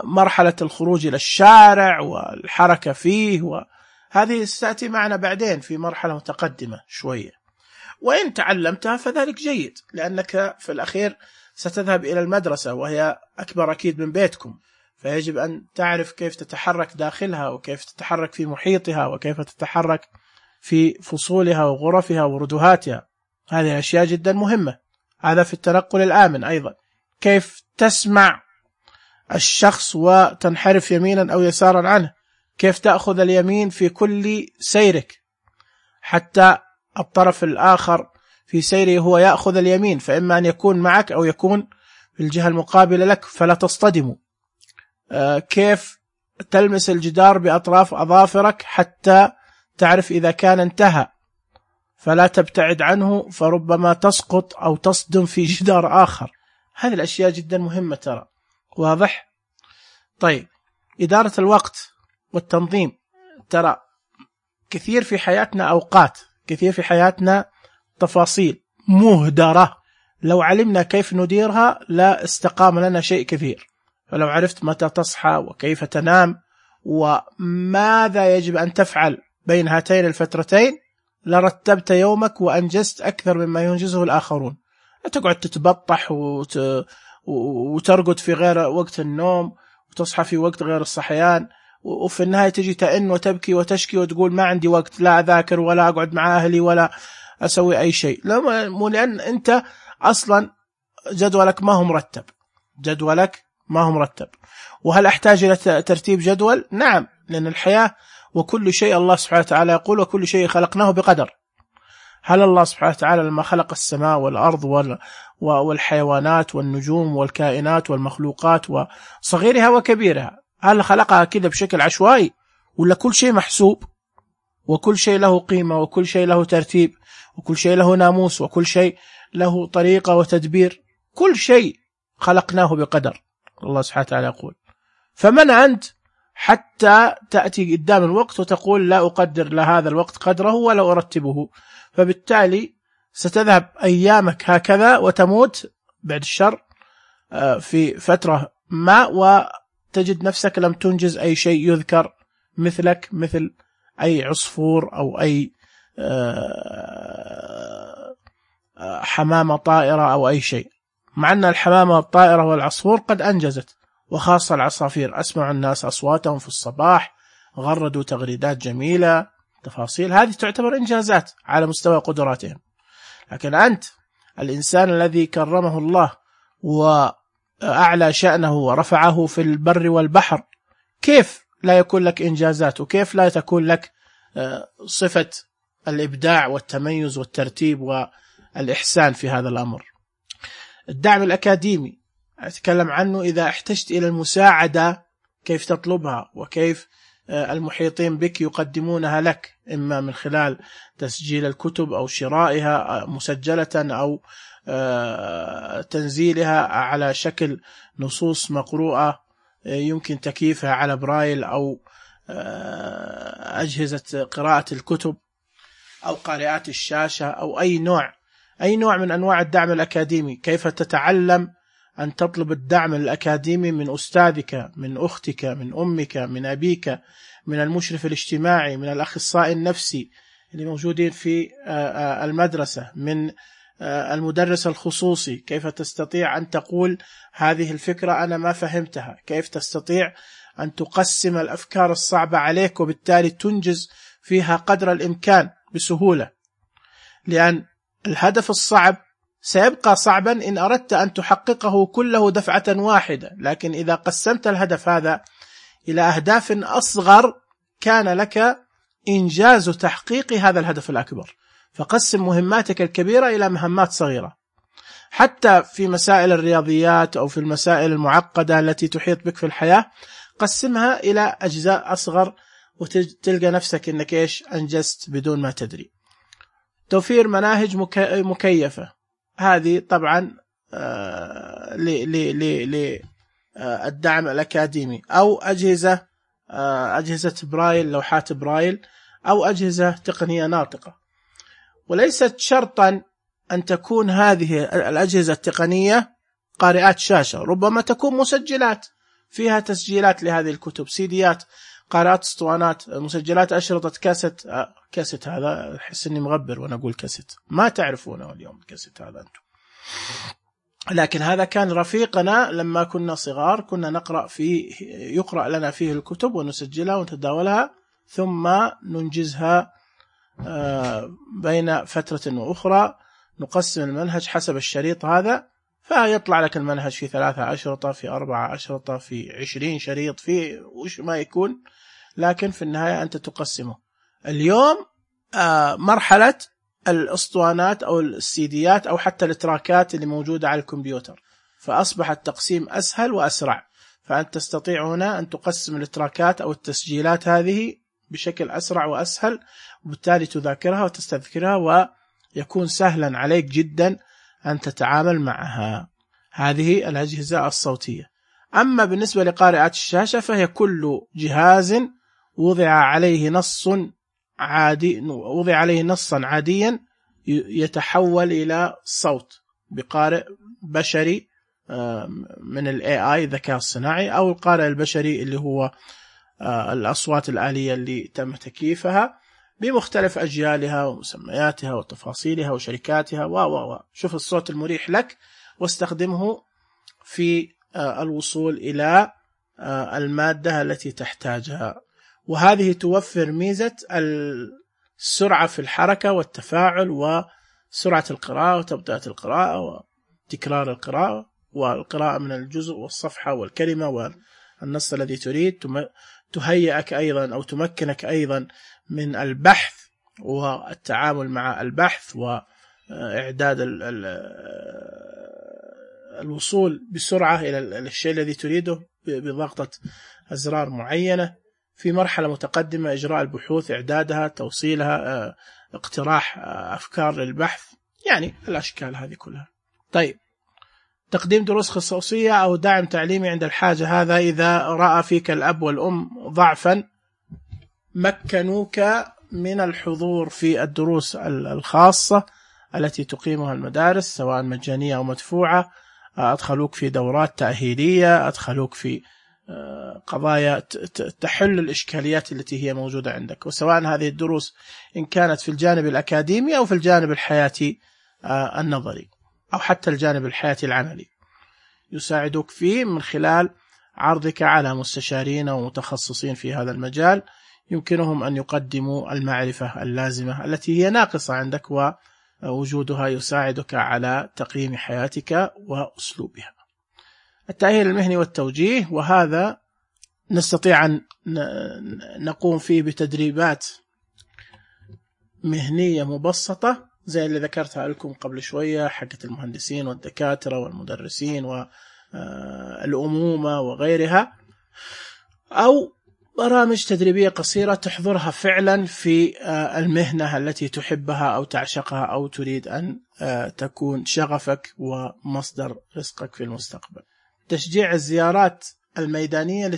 مرحلة الخروج إلى الشارع والحركة فيه، وهذه ستأتي معنا بعدين في مرحلة متقدمة شوية، وإن تعلمتها فذلك جيد، لأنك في الأخير ستذهب إلى المدرسة وهي أكبر أكيد من بيتكم، فيجب أن تعرف كيف تتحرك داخلها وكيف تتحرك في محيطها وكيف تتحرك في فصولها وغرفها وردهاتها. هذه أشياء جدا مهمة. هذا في التنقل الآمن. أيضا كيف تسمع الشخص وتنحرف يمينا أو يسارا عنه، كيف تأخذ اليمين في كل سيرك، حتى الطرف الآخر في سيره هو يأخذ اليمين، فإما أن يكون معك أو يكون في الجهة المقابلة لك فلا تصطدموا. كيف تلمس الجدار بأطراف أظافرك حتى تعرف إذا كان انتهى، فلا تبتعد عنه فربما تسقط أو تصدم في جدار آخر. هذه الأشياء جدا مهمة ترى. واضح؟ طيب، إدارة الوقت والتنظيم. ترى كثير في حياتنا أوقات، كثير في حياتنا تفاصيل مهدرة، لو علمنا كيف نديرها لا استقام لنا شيء كثير. فلو عرفت متى تصحى وكيف تنام وماذا يجب أن تفعل بين هاتين الفترتين لرتبت يومك وأنجزت أكثر مما ينجزه الآخرون. لا تقعد تتبطح وترقد في غير وقت النوم وتصحى في وقت غير الصحيان، وفي النهاية تجي تئن وتبكي وتشكي وتقول ما عندي وقت لا أذاكر ولا أقعد مع أهلي ولا أسوي أي شيء. لأن أنت أصلا جدولك ما هو مرتب، جدولك ما هو مرتب. وهل أحتاج إلى ترتيب جدول؟ نعم، لأن الحياة وكل شيء الله سبحانه وتعالى يقول وكل شيء خلقناه بقدر. هل الله سبحانه وتعالى لما خلق السماء والأرض والحيوانات والنجوم والكائنات والمخلوقات وصغيرها وكبيرها، هل خلقها كده بشكل عشوائي، ولا كل شيء محسوب وكل شيء له قيمة وكل شيء له ترتيب وكل شيء له ناموس وكل شيء له طريقة وتدبير؟ كل شيء خلقناه بقدر، الله سبحانه وتعالى يقول. فمن أنت حتى تأتي قدام الوقت وتقول لا أقدر لهذا الوقت قدره ولا أرتبه؟ فبالتالي ستذهب أيامك هكذا وتموت بعد الشر في فترة ما، وتجد نفسك لم تنجز أي شيء يذكر، مثلك مثل أي عصفور أو أي حمامة طائرة أو أي شيء. مع أن الحمامة والطائرة والعصفور قد أنجزت، وخاصة العصافير أسمع الناس أصواتهم في الصباح، غردوا تغريدات جميلة، تفاصيل، هذه تعتبر إنجازات على مستوى قدراتهم. لكن أنت الإنسان الذي كرمه الله وأعلى شأنه ورفعه في البر والبحر، كيف لا يكون لك إنجازات؟ وكيف لا تكون لك صفة الإبداع والتميز والترتيب والإحسان في هذا الأمر؟ الدعم الأكاديمي أتكلم عنه. إذا احتجت إلى المساعدة كيف تطلبها، وكيف المحيطين بك يقدمونها لك، إما من خلال تسجيل الكتب أو شرائها مسجلة أو تنزيلها على شكل نصوص مقروءة يمكن تكييفها على برايل أو أجهزة قراءة الكتب أو قارئات الشاشة أو أي نوع من أنواع الدعم الأكاديمي. كيف تتعلم أن تطلب الدعم الأكاديمي من أستاذك، من أختك، من أمك، من أبيك، من المشرف الاجتماعي، من الأخصائي النفسي اللي موجودين في المدرسة، من المدرس الخصوصي. كيف تستطيع أن تقول هذه الفكرة أنا ما فهمتها؟ كيف تستطيع أن تقسم الأفكار الصعبة عليك وبالتالي تنجز فيها قدر الإمكان بسهولة؟ لأن الهدف الصعب سيبقى صعبا إن أردت أن تحققه كله دفعة واحدة، لكن إذا قسمت الهدف هذا إلى أهداف أصغر كان لك إنجاز تحقيق هذا الهدف الأكبر. فقسم مهماتك الكبيرة إلى مهمات صغيرة. حتى في مسائل الرياضيات أو في المسائل المعقدة التي تحيط بك في الحياة، قسمها إلى أجزاء أصغر وتلقى نفسك إنك أنجزت بدون ما تدري. توفير مناهج مكيفة، هذه طبعا للدعم الأكاديمي، أو أجهزة برايل، لوحات برايل، أو أجهزة تقنية ناطقة. وليست شرطا أن تكون هذه الأجهزة التقنية قارئات شاشة، ربما تكون مسجلات فيها تسجيلات لهذه الكتب، سيديات، قارئات اسطوانات، مسجلات أشرطة كاسيت. هذا أحس إني مغبر وأنا أقول كاسيت، ما تعرفونه اليوم الكاسيت هذا أنتم. لكن هذا كان رفيقنا لما كنا صغار، كنا نقرأ فيه، يقرأ لنا فيه الكتب ونسجلها ونتداولها ثم ننجزها بين فترة وأخرى. نقسم المنهج حسب الشريط هذا، فيطلع لك المنهج في 3 أشرطة، في 4 أشرطة، في 20 شريط، في وش ما يكون، لكن في النهاية أنت تقسمه. اليوم مرحلة الأسطوانات أو السيديات أو حتى التراكات اللي موجودة على الكمبيوتر، فأصبح التقسيم أسهل وأسرع. فأنت تستطيع هنا أن تقسم التراكات أو التسجيلات هذه بشكل أسرع وأسهل، وبالتالي تذاكرها وتستذكرها، ويكون سهلا عليك جدا أن تتعامل معها. هذه الأجهزة الصوتية. أما بالنسبة لقارئات الشاشة فهي كل جهاز وضع عليه نصا عاديا يتحول إلى صوت بقارئ بشري من ال AI الذكاء الصناعي، أو القارئ البشري اللي هو الأصوات الآلية اللي تم تكييفها بمختلف أجيالها ومسمياتها وتفاصيلها وشركاتها شوف الصوت المريح لك واستخدمه في الوصول إلى المادة التي تحتاجها. وهذه توفر ميزة السرعة في الحركة والتفاعل وسرعة القراءة وتبدأة القراءة وتكرار القراءة والقراءة من الجزء والصفحة والكلمة والنص الذي تريد. تهيئك أيضا أو تمكنك أيضا من البحث والتعامل مع البحث وإعداد الوصول بسرعة إلى الشيء الذي تريده بضغطة أزرار معينة. في مرحلة متقدمة إجراء البحوث، إعدادها، توصيلها، اقتراح أفكار للبحث، يعني الأشكال هذه كلها. طيب، تقديم دروس خصوصية أو دعم تعليمي عند الحاجة. هذا إذا رأى فيك الأب والأم ضعفا مكنوك من الحضور في الدروس الخاصة التي تقيمها المدارس سواء مجانية أو مدفوعة، أدخلوك في دورات تأهيلية، أدخلوك في قضايا تحل الإشكاليات التي هي موجودة عندك، وسواء هذه الدروس إن كانت في الجانب الأكاديمي أو في الجانب الحياتي النظري أو حتى الجانب الحياتي العملي، يساعدوك فيه من خلال عرضك على مستشارين ومتخصصين في هذا المجال، يمكنهم أن يقدموا المعرفة اللازمة التي هي ناقصة عندك، ووجودها يساعدك على تقييم حياتك وأسلوبها. التأهيل المهني والتوجيه، وهذا نستطيع أن نقوم فيه بتدريبات مهنية مبسطة زي اللي ذكرتها لكم قبل شوية، حقة المهندسين والدكاترة والمدرسين والأمومة وغيرها، أو برامج تدريبية قصيرة تحضرها فعلا في المهنة التي تحبها أو تعشقها أو تريد أن تكون شغفك ومصدر رزقك في المستقبل. تشجيع الزيارات الميدانية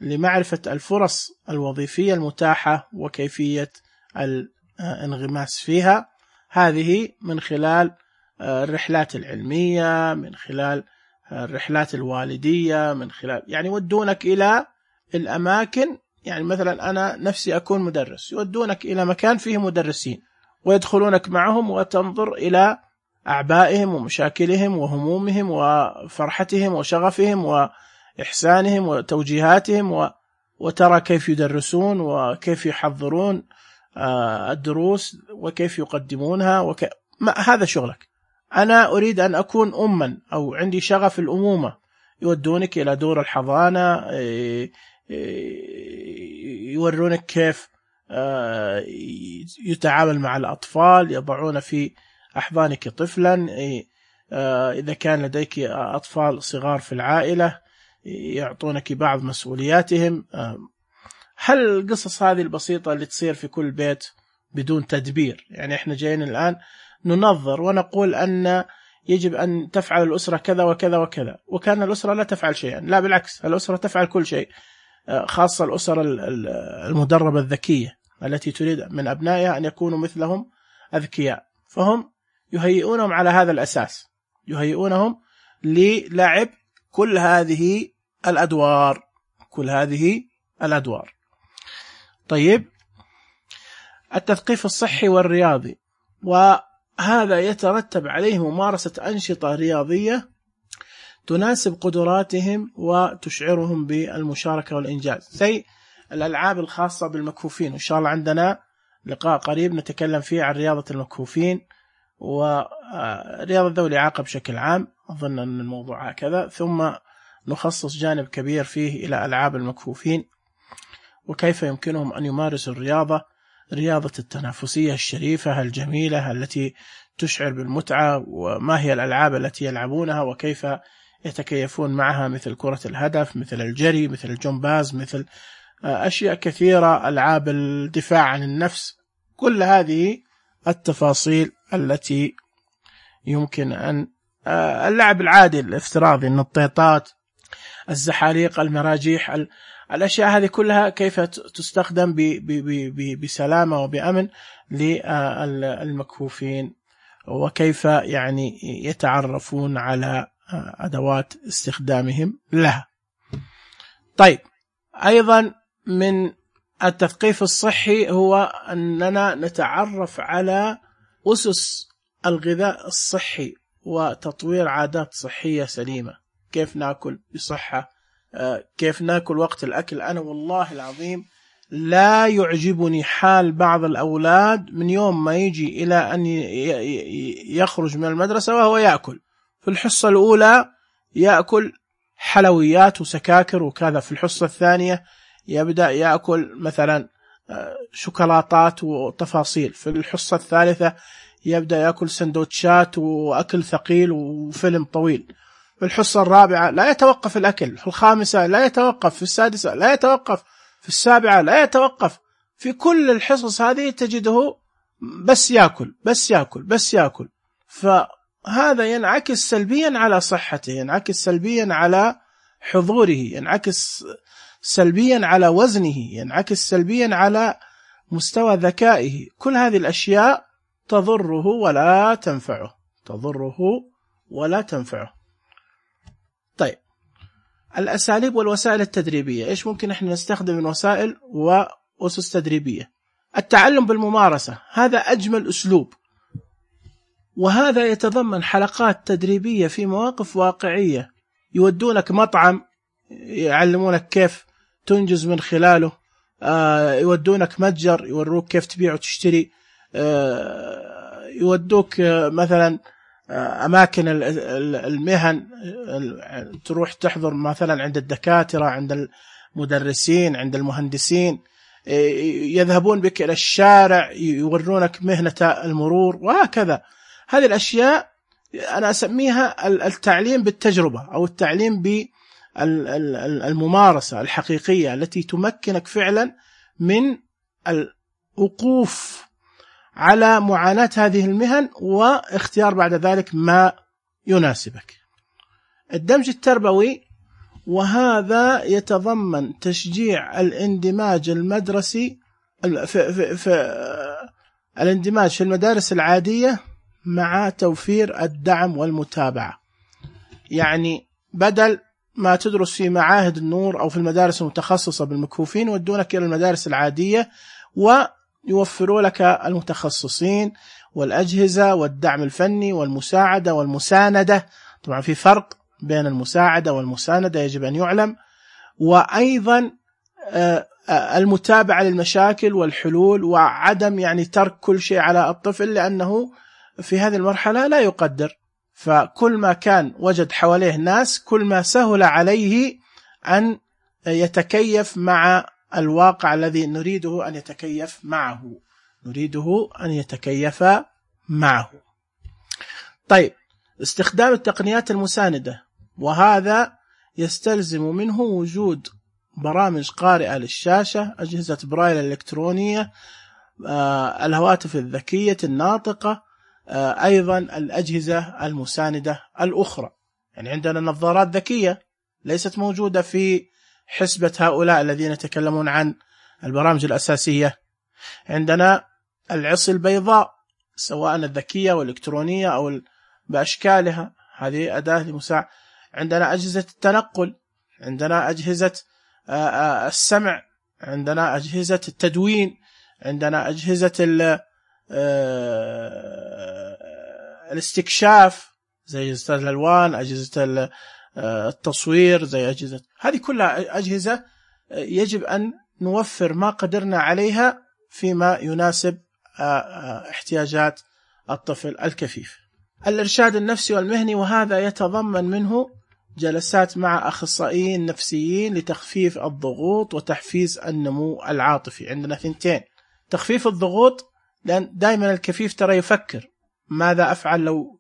لمعرفة الفرص الوظيفية المتاحة وكيفية الانغماس فيها، هذه من خلال الرحلات العلمية، من خلال الرحلات الوالدية، من خلال يعني ودونك إلى الأماكن. يعني مثلا أنا نفسي أكون مدرس، يودونك إلى مكان فيه مدرسين ويدخلونك معهم وتنظر إلى أعبائهم ومشاكلهم وهمومهم وفرحتهم وشغفهم وإحسانهم وتوجيهاتهم، وترى كيف يدرسون وكيف يحضرون الدروس وكيف يقدمونها هذا شغلك. أنا أريد أن أكون أما أو عندي شغف الأمومة، يودونك إلى دور الحضانة، يورونك كيف يتعامل مع الأطفال، يضعون في أحضانك طفلا، إذا كان لديك أطفال صغار في العائلة يعطونك بعض مسؤولياتهم. هل القصص هذه البسيطة اللي تصير في كل بيت بدون تدبير؟ يعني إحنا جايين الآن ننظر ونقول أن يجب أن تفعل الأسرة كذا وكذا وكذا، وكان الأسرة لا تفعل شيئا. لا، بالعكس، الأسرة تفعل كل شيء، خاصة الأسرة المدربة الذكية التي تريد من أبنائها أن يكونوا مثلهم أذكياء، فهم يهيئونهم على هذا الأساس، يهيئونهم للعب كل هذه الأدوار. طيب، التثقيف الصحي والرياضي، وهذا يترتب عليه ممارسة أنشطة رياضية تناسب قدراتهم وتشعرهم بالمشاركة والإنجاز، زي الألعاب الخاصة بالمكفوفين. وإن شاء الله عندنا لقاء قريب نتكلم فيه عن رياضة المكفوفين ورياضة ذوي الإعاقة بشكل عام، أظن أن الموضوع هكذا، ثم نخصص جانب كبير فيه إلى ألعاب المكفوفين وكيف يمكنهم أن يمارسوا الرياضة رياضة التنافسية الشريفة الجميلة التي تشعر بالمتعة، وما هي الألعاب التي يلعبونها وكيف يتكيفون معها، مثل كرة الهدف، مثل الجري، مثل الجمباز، مثل أشياء كثيرة، ألعاب الدفاع عن النفس. كل هذه التفاصيل التي يمكن أن اللعب العادي الافتراضي، النطيطات، الزحاليق، المراجيح، الأشياء هذه كلها كيف تستخدم بسلامة وبأمن للمكفوفين، وكيف يعني يتعرفون على أدوات استخدامهم لها. طيب، أيضا من التثقيف الصحي هو أننا نتعرف على أسس الغذاء الصحي وتطوير عادات صحية سليمة. كيف نأكل بصحة، كيف نأكل وقت الأكل. أنا والله العظيم لا يعجبني حال بعض الأولاد من يوم ما يجي إلى أن يخرج من المدرسة وهو يأكل. في الحصة الأولى يأكل حلويات وسكاكر وكذا، في الحصة الثانية يبدأ يأكل مثلا شوكولاتات وتفاصيل، في الحصة الثالثة يبدأ يأكل سندوتشات وأكل ثقيل وفيلم طويل، في الحصة الرابعة لا يتوقف الأكل، في الخامسة لا يتوقف، في السادسة لا يتوقف، في السابعة لا يتوقف. في كل الحصص هذه تجده بس يأكل بس يأكل بس يأكل. فهذا ينعكس سلبيا على صحته، ينعكس سلبيا على حضوره، ينعكس سلبيا على وزنه، ينعكس سلبيا على مستوى ذكائه. كل هذه الأشياء تضره ولا تنفعه، تضره ولا تنفعه. طيب، الأساليب والوسائل التدريبية. إيش ممكن إحنا نستخدم من وسائل وأسس تدريبية؟ التعلم بالممارسة، هذا أجمل أسلوب، وهذا يتضمن حلقات تدريبية في مواقف واقعية. يودونك مطعم يعلمونك كيف تنجز من خلاله، يودونك متجر يوروك كيف تبيع وتشتري، يودوك مثلا أماكن المهن، تروح تحضر مثلا عند الدكاترة، عند المدرسين، عند المهندسين، يذهبون بك إلى الشارع يورونك مهنة المرور وهكذا. هذه الأشياء أنا أسميها التعليم بالتجربة، أو التعليم بالممارسة الحقيقية التي تمكنك فعلا من الوقوف على معاناة هذه المهن واختيار بعد ذلك ما يناسبك. الدمج التربوي، وهذا يتضمن تشجيع الاندماج المدرسي الاندماج في المدارس العادية مع توفير الدعم والمتابعة. يعني بدل ما تدرس في معاهد النور أو في المدارس المتخصصة بالمكفوفين، ودونك إلى المدارس العادية ويوفروا لك المتخصصين والأجهزة والدعم الفني والمساعدة والمساندة. طبعا في فرق بين المساعدة والمساندة يجب أن يعلم، وأيضا المتابعة للمشاكل والحلول، وعدم يعني ترك كل شيء على الطفل، لأنه في هذه المرحلة لا يقدر. فكل ما كان وجد حواليه ناس كل ما سهل عليه أن يتكيف مع الواقع الذي نريده أن يتكيف معه. طيب، استخدام التقنيات المساندة، وهذا يستلزم منه وجود برامج قارئة للشاشة، أجهزة برايل الإلكترونية، الهواتف الذكية الناطقة، أيضا الأجهزة المساندة الأخرى. يعني عندنا نظارات ذكية ليست موجودة في حسبة هؤلاء الذين يتكلمون عن البرامج الأساسية. عندنا العصي البيضاء، سواء الذكية والإلكترونية أو بأشكالها، هذه أداة لمساعدة. عندنا أجهزة التنقل، عندنا أجهزة السمع، عندنا أجهزة التدوين، عندنا أجهزة الاستكشاف زي أجهزة الألوان، أجهزة التصوير زي أجهزة، هذه كلها أجهزة يجب أن نوفر ما قدرنا عليها فيما يناسب احتياجات الطفل الكفيف. الإرشاد النفسي والمهني، وهذا يتضمن منه جلسات مع أخصائيين نفسيين لتخفيف الضغوط وتحفيز النمو العاطفي. عندنا 2 تخفيف الضغوط، لأن دائما الكفيف ترى يفكر ماذا أفعل لو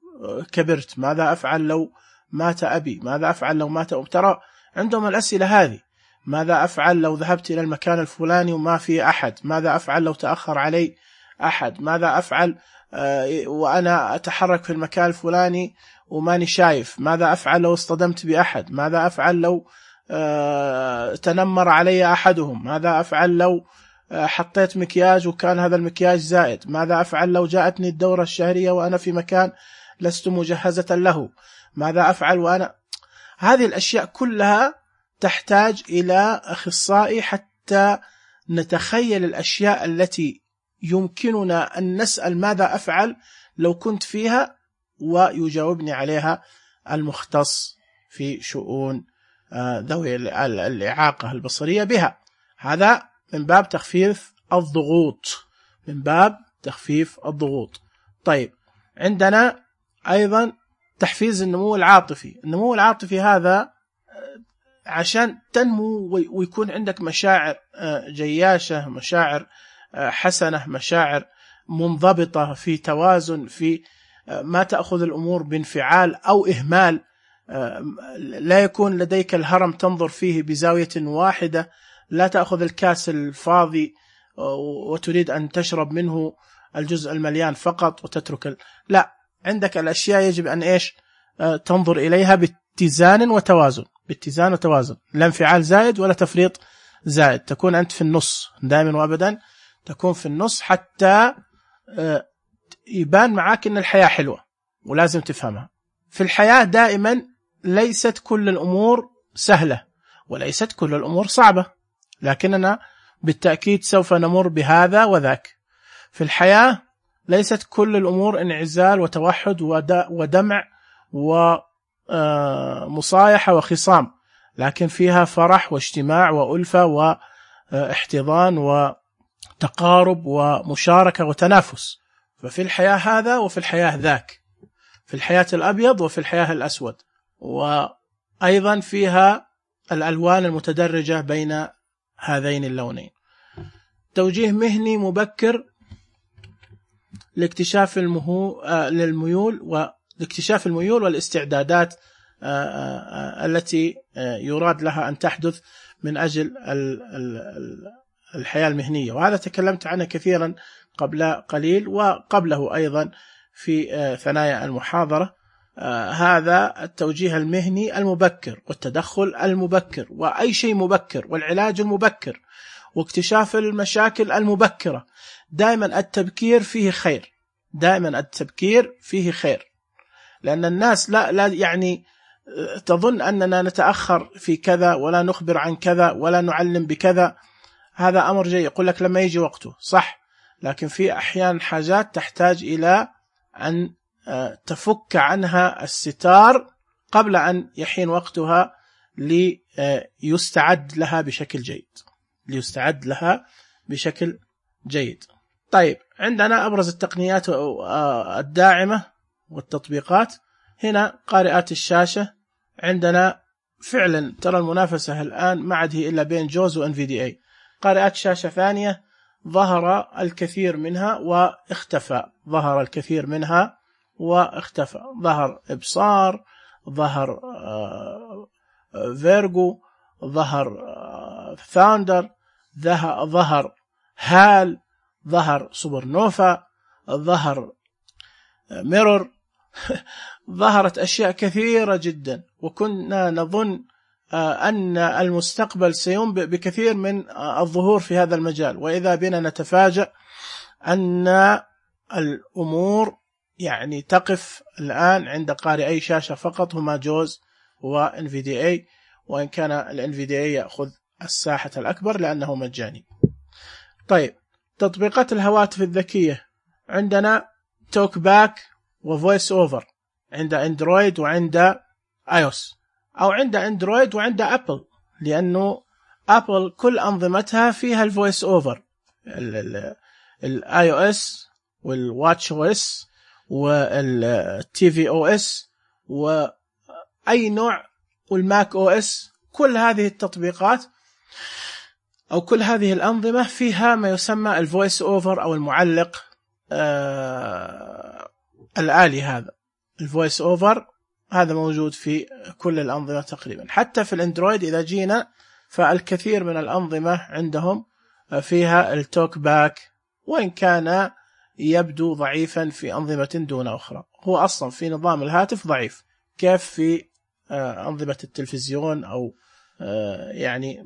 كبرت، ماذا أفعل لو مات أبي، ماذا أفعل لو مات ترى عندهم الأسئلة هذه. ماذا أفعل لو ذهبت إلى المكان الفلاني وما في أحد، ماذا أفعل لو تأخر علي أحد، ماذا أفعل وأنا أتحرك في المكان الفلاني وماني شايف، ماذا أفعل لو اصطدمت بأحد، ماذا أفعل لو تنمر علي أحدهم، ماذا أفعل لو حطيت مكياج وكان هذا المكياج زائد، ماذا أفعل لو جاءتني الدورة الشهرية وأنا في مكان لست مجهزة له، ماذا أفعل وأنا. هذه الأشياء كلها تحتاج إلى أخصائي حتى نتخيل الأشياء التي يمكننا أن نسأل ماذا أفعل لو كنت فيها، ويجاوبني عليها المختص في شؤون ذوي الإعاقة البصرية بها. هذا من باب تخفيف الضغوط، من باب تخفيف الضغوط. طيب، عندنا أيضا تحفيز النمو العاطفي. النمو العاطفي هذا عشان تنمو ويكون عندك مشاعر جياشة، مشاعر حسنة، مشاعر منضبطة في توازن، في ما تأخذ الأمور بانفعال أو إهمال، لا يكون لديك الهرم تنظر فيه بزاوية واحدة، لا تأخذ الكاس الفاضي وتريد أن تشرب منه الجزء المليان فقط وتترك لا، عندك الأشياء يجب أن إيش تنظر إليها باتزان وتوازن، باتزان وتوازن، لا انفعال زائد ولا تفريط زائد، تكون أنت في النص دائما وأبدا، تكون في النص حتى يبان معاك أن الحياة حلوة. ولازم تفهمها، في الحياة دائما ليست كل الأمور سهلة وليست كل الأمور صعبة، لكننا بالتأكيد سوف نمر بهذا وذاك. في الحياة ليست كل الأمور انعزال وتوحد ودمع ومصايحة وخصام، لكن فيها فرح واجتماع وألفة واحتضان وتقارب ومشاركة وتنافس. ففي الحياة هذا وفي الحياة ذاك، في الحياة الأبيض وفي الحياة الأسود، وأيضا فيها الألوان المتدرجة بين هذين اللونين. توجيه مهني مبكر لاكتشاف للميول والاكتشاف الميول والاستعدادات التي يراد لها أن تحدث من أجل الحياة المهنية، وهذا تكلمت عنه كثيرا قبل قليل وقبله أيضا في ثنايا المحاضرة. هذا التوجيه المهني المبكر والتدخل المبكر وأي شيء مبكر والعلاج المبكر واكتشاف المشاكل المبكرة. دائما التبكير فيه خير، دائما التبكير فيه خير، لأن الناس لا يعني تظن أننا نتأخر في كذا ولا نخبر عن كذا ولا نعلم بكذا. هذا أمر جيد، يقول لك لما يجي وقته صح، لكن في أحيان حاجات تحتاج إلى أن تفك عنها الستار قبل أن يحين وقتها ليستعد لها بشكل جيد، ليستعد لها بشكل جيد. طيب، عندنا أبرز التقنيات الداعمة والتطبيقات. هنا قارئات الشاشة، عندنا فعلا ترى المنافسة الآن ما عاد هي إلا بين جوز وNVDA. قارئات شاشة ثانية ظهر الكثير منها واختفى، ظهر الكثير منها واختفى، ظهر إبصار، ظهر فيرجو، ظهر ثاندر، ظهر هال، ظهر سوبر نوفا، ظهر ميرور ظهرت أشياء كثيرة جدا، وكنا نظن أن المستقبل سينبئ بكثير من الظهور في هذا المجال، وإذا بنا نتفاجأ أن الأمور يعني تقف الآن عند قارئي شاشة فقط، هما جوز وNVDA، وإن كان الNVDA يأخذ الساحة الأكبر لأنه مجاني. طيب، تطبيقات الهواتف الذكية، عندنا توك باك وفويس أوفر عند أندرويد وعند iOS، أو عند أندرويد وعند أبل، لأنه أبل كل أنظمتها فيها الفويس أوفر، iOS والواتش OS والTV OS وأي نوع والماك OS، كل هذه التطبيقات أو كل هذه الأنظمة فيها ما يسمى الفويس أوفر أو المعلق الآلي. هذا الفويس أوفر هذا موجود في كل الأنظمة تقريبا. حتى في الأندرويد إذا جينا فالكثير من الأنظمة عندهم فيها التوك باك، وإن كان يبدو ضعيفا في أنظمة دون أخرى. هو أصلا في نظام الهاتف ضعيف، كيف في أنظمة التلفزيون أو يعني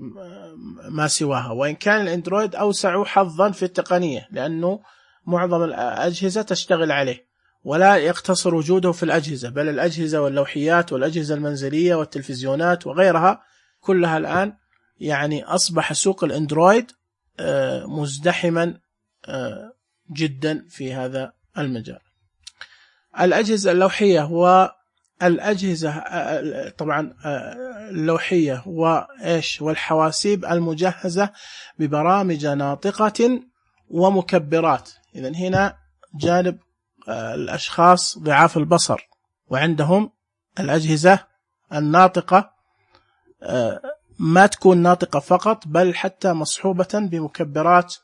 ما سواها. وإن كان الأندرويد أوسع حظا في التقنية، لأنه معظم الأجهزة تشتغل عليه، ولا يقتصر وجوده في الأجهزة، بل الأجهزة واللوحيات والأجهزة المنزلية والتلفزيونات وغيرها كلها الآن يعني أصبح سوق الأندرويد مزدحما جدا في هذا المجال. الأجهزة اللوحية والأجهزة طبعا اللوحية والحواسيب المجهزة ببرامج ناطقة ومكبرات. إذن هنا جانب الأشخاص ضعاف البصر وعندهم الأجهزة الناطقة، ما تكون ناطقة فقط بل حتى مصحوبة بمكبرات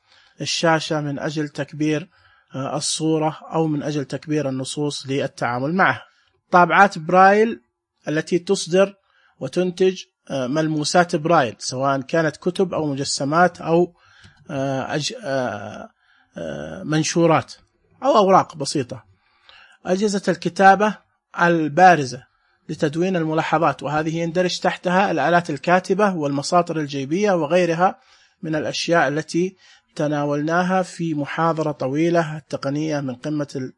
الشاشة من أجل تكبير الصورة أو من أجل تكبير النصوص للتعامل معها. طابعات برايل التي تصدر وتنتج ملموسات برايل، سواء كانت كتب أو مجسمات أو منشورات أو أوراق بسيطة. أجهزة الكتابة البارزة لتدوين الملاحظات، وهذه يندرج تحتها الآلات الكاتبة والمساطر الجيبية وغيرها من الأشياء التي تناولناها في محاضرة طويلة التقنية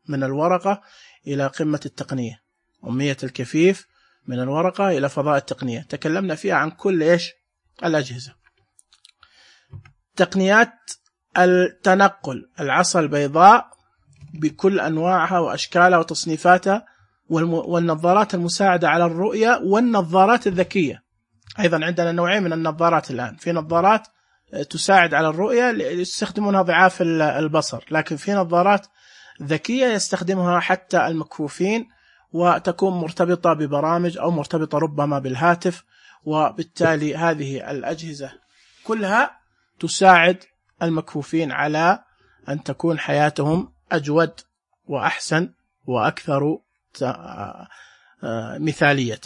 من الورقة إلى قمة التقنية، أمية الكفيف من الورقة إلى فضاء التقنية. تكلمنا فيها عن كل الأجهزة. تقنيات التنقل، العصا البيضاء بكل أنواعها وأشكالها وتصنيفاتها، والنظارات المساعدة على الرؤية، والنظارات الذكية. أيضا عندنا نوعين من النظارات الآن، في نظارات تساعد على الرؤية يستخدمونها ضعاف البصر، لكن في نظارات ذكية يستخدمها حتى المكفوفين، وتكون مرتبطة ببرامج أو مرتبطة ربما بالهاتف. وبالتالي هذه الأجهزة كلها تساعد المكفوفين على أن تكون حياتهم أجود وأحسن وأكثر مثالية.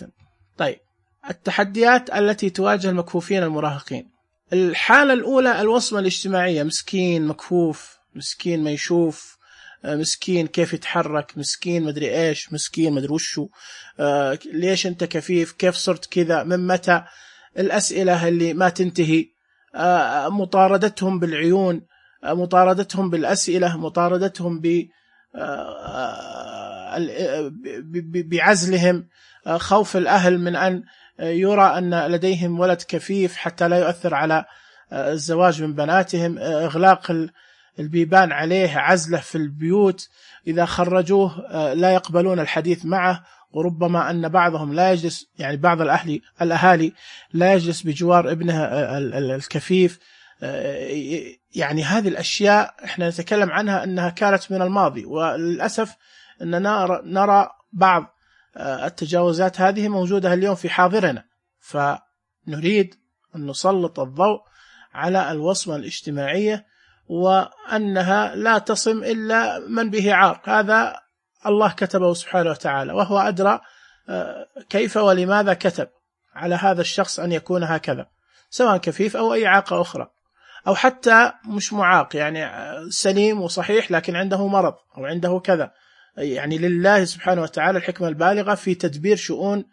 طيب، التحديات التي تواجه المكفوفين المراهقين. الحالة الأولى الوصمة الاجتماعية، مسكين مكفوف، مسكين ما يشوف، مسكين كيف يتحرك، مسكين مدري إيش، مسكين مدري وشو، ليش أنت كفيف، كيف صرت كذا، من متى، الأسئلة اللي ما تنتهي، مطاردتهم بالعيون، مطاردتهم بالأسئلة، مطاردتهم بعزلهم، خوف الأهل من أن يرى أن لديهم ولد كفيف حتى لا يؤثر على الزواج من بناتهم، إغلاق البيبان عليه، عزله في البيوت، إذا خرجوه لا يقبلون الحديث معه، وربما أن بعضهم لا يجلس، يعني بعض الأهالي لا يجلس بجوار ابنه الكفيف. يعني هذه الأشياء احنا نتكلم عنها أنها كانت من الماضي، وللأسف أننا نرى بعض التجاوزات هذه موجودة اليوم في حاضرنا. فنريد أن نسلط الضوء على الوصمة الاجتماعية، وأنها لا تصم إلا من به عار. هذا الله كتبه سبحانه وتعالى، وهو أدرى كيف ولماذا كتب على هذا الشخص أن يكون هكذا، سواء كفيف أو أي إعاقة أخرى، أو حتى مش معاق، يعني سليم وصحيح لكن عنده مرض أو عنده كذا. يعني لله سبحانه وتعالى الحكمة البالغة في تدبير شؤون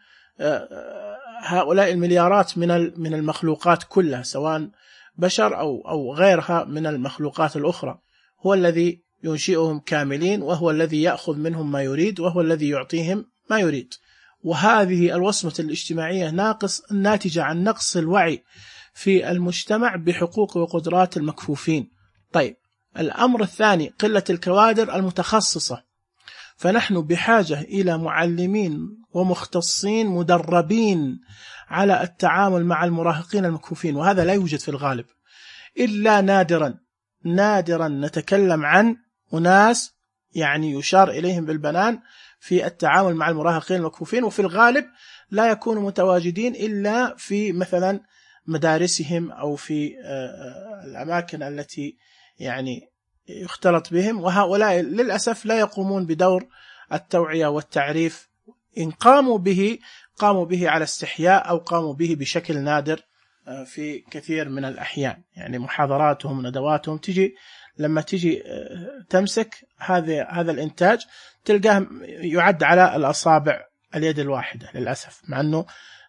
هؤلاء المليارات من المخلوقات كلها، سواء بشر أو غيرها من المخلوقات الأخرى. هو الذي ينشئهم كاملين، وهو الذي يأخذ منهم ما يريد، وهو الذي يعطيهم ما يريد. وهذه الوصمة الاجتماعية ناتجة عن نقص الوعي في المجتمع بحقوق وقدرات المكفوفين. طيب، الأمر الثاني قلة الكوادر المتخصصة، فنحن بحاجة إلى معلمين ومختصين مدربين على التعامل مع المراهقين المكفوفين، وهذا لا يوجد في الغالب إلا نادرا نتكلم عن أناس يعني يشار إليهم بالبنان في التعامل مع المراهقين المكفوفين، وفي الغالب لا يكونوا متواجدين إلا في مثلا مدارسهم أو في الأماكن التي يعني يختلط بهم، وهؤلاء للأسف لا يقومون بدور التوعية والتعريف. إن قاموا به على استحياء أو قاموا به بشكل نادر في كثير من الأحيان. يعني محاضراتهم وندواتهم لما تجي تمسك هذا الإنتاج تلقاه يعد على الأصابع اليد الواحدة للأسف، مع أنه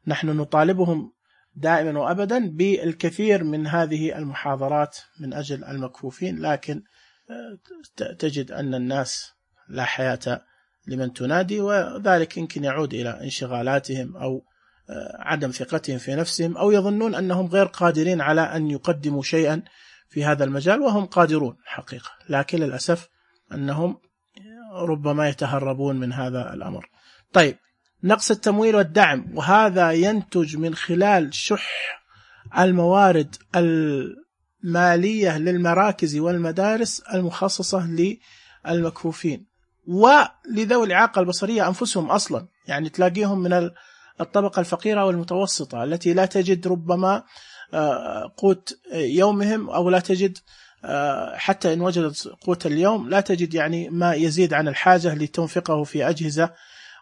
نحن نطالبهم دائما وأبدا بالكثير من هذه المحاضرات من أجل المكفوفين، لكن تجد أن الناس لا حياة لمن تنادي، وذلك يمكن يعود إلى انشغالاتهم أو عدم ثقتهم في نفسهم، أو يظنون أنهم غير قادرين على أن يقدموا شيئا في هذا المجال وهم قادرون حقيقة، لكن للأسف أنهم ربما يتهربون من هذا الأمر. طيب، نقص التمويل والدعم، وهذا ينتج من خلال شح الموارد المالية للمراكز والمدارس المخصصة للمكفوفين ولذوي الإعاقة البصرية أنفسهم أصلا. يعني تلاقيهم من الطبقة الفقيرة والمتوسطة التي لا تجد ربما قوت يومهم، أو لا تجد حتى إن وجدت قوت اليوم لا تجد يعني ما يزيد عن الحاجة لتنفقه في أجهزة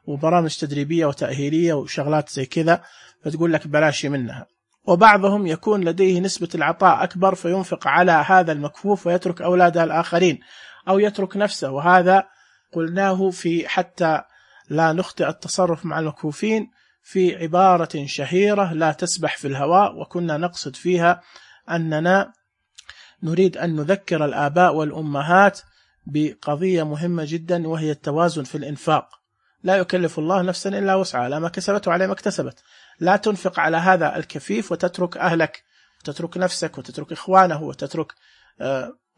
وبرامج تدريبية وتأهيلية وشغلات زي كذا، فتقول لك بلاش منها. وبعضهم يكون لديه نسبة العطاء أكبر فينفق على هذا المكفوف ويترك أولاده الآخرين أو يترك نفسه، وهذا قلناه في حتى لا نخطئ التصرف مع المكفوفين في عبارة شهيرة لا تسبح في الهواء، وكنا نقصد فيها أننا نريد أن نذكر الآباء والأمهات بقضية مهمة جدا، وهي التوازن في الإنفاق. لا يكلف الله نفسا إلا وسعها، لا ما كسبت وعلى ما اكتسبت. لا تنفق على هذا الكفيف وتترك أهلك وتترك نفسك وتترك إخوانه وتترك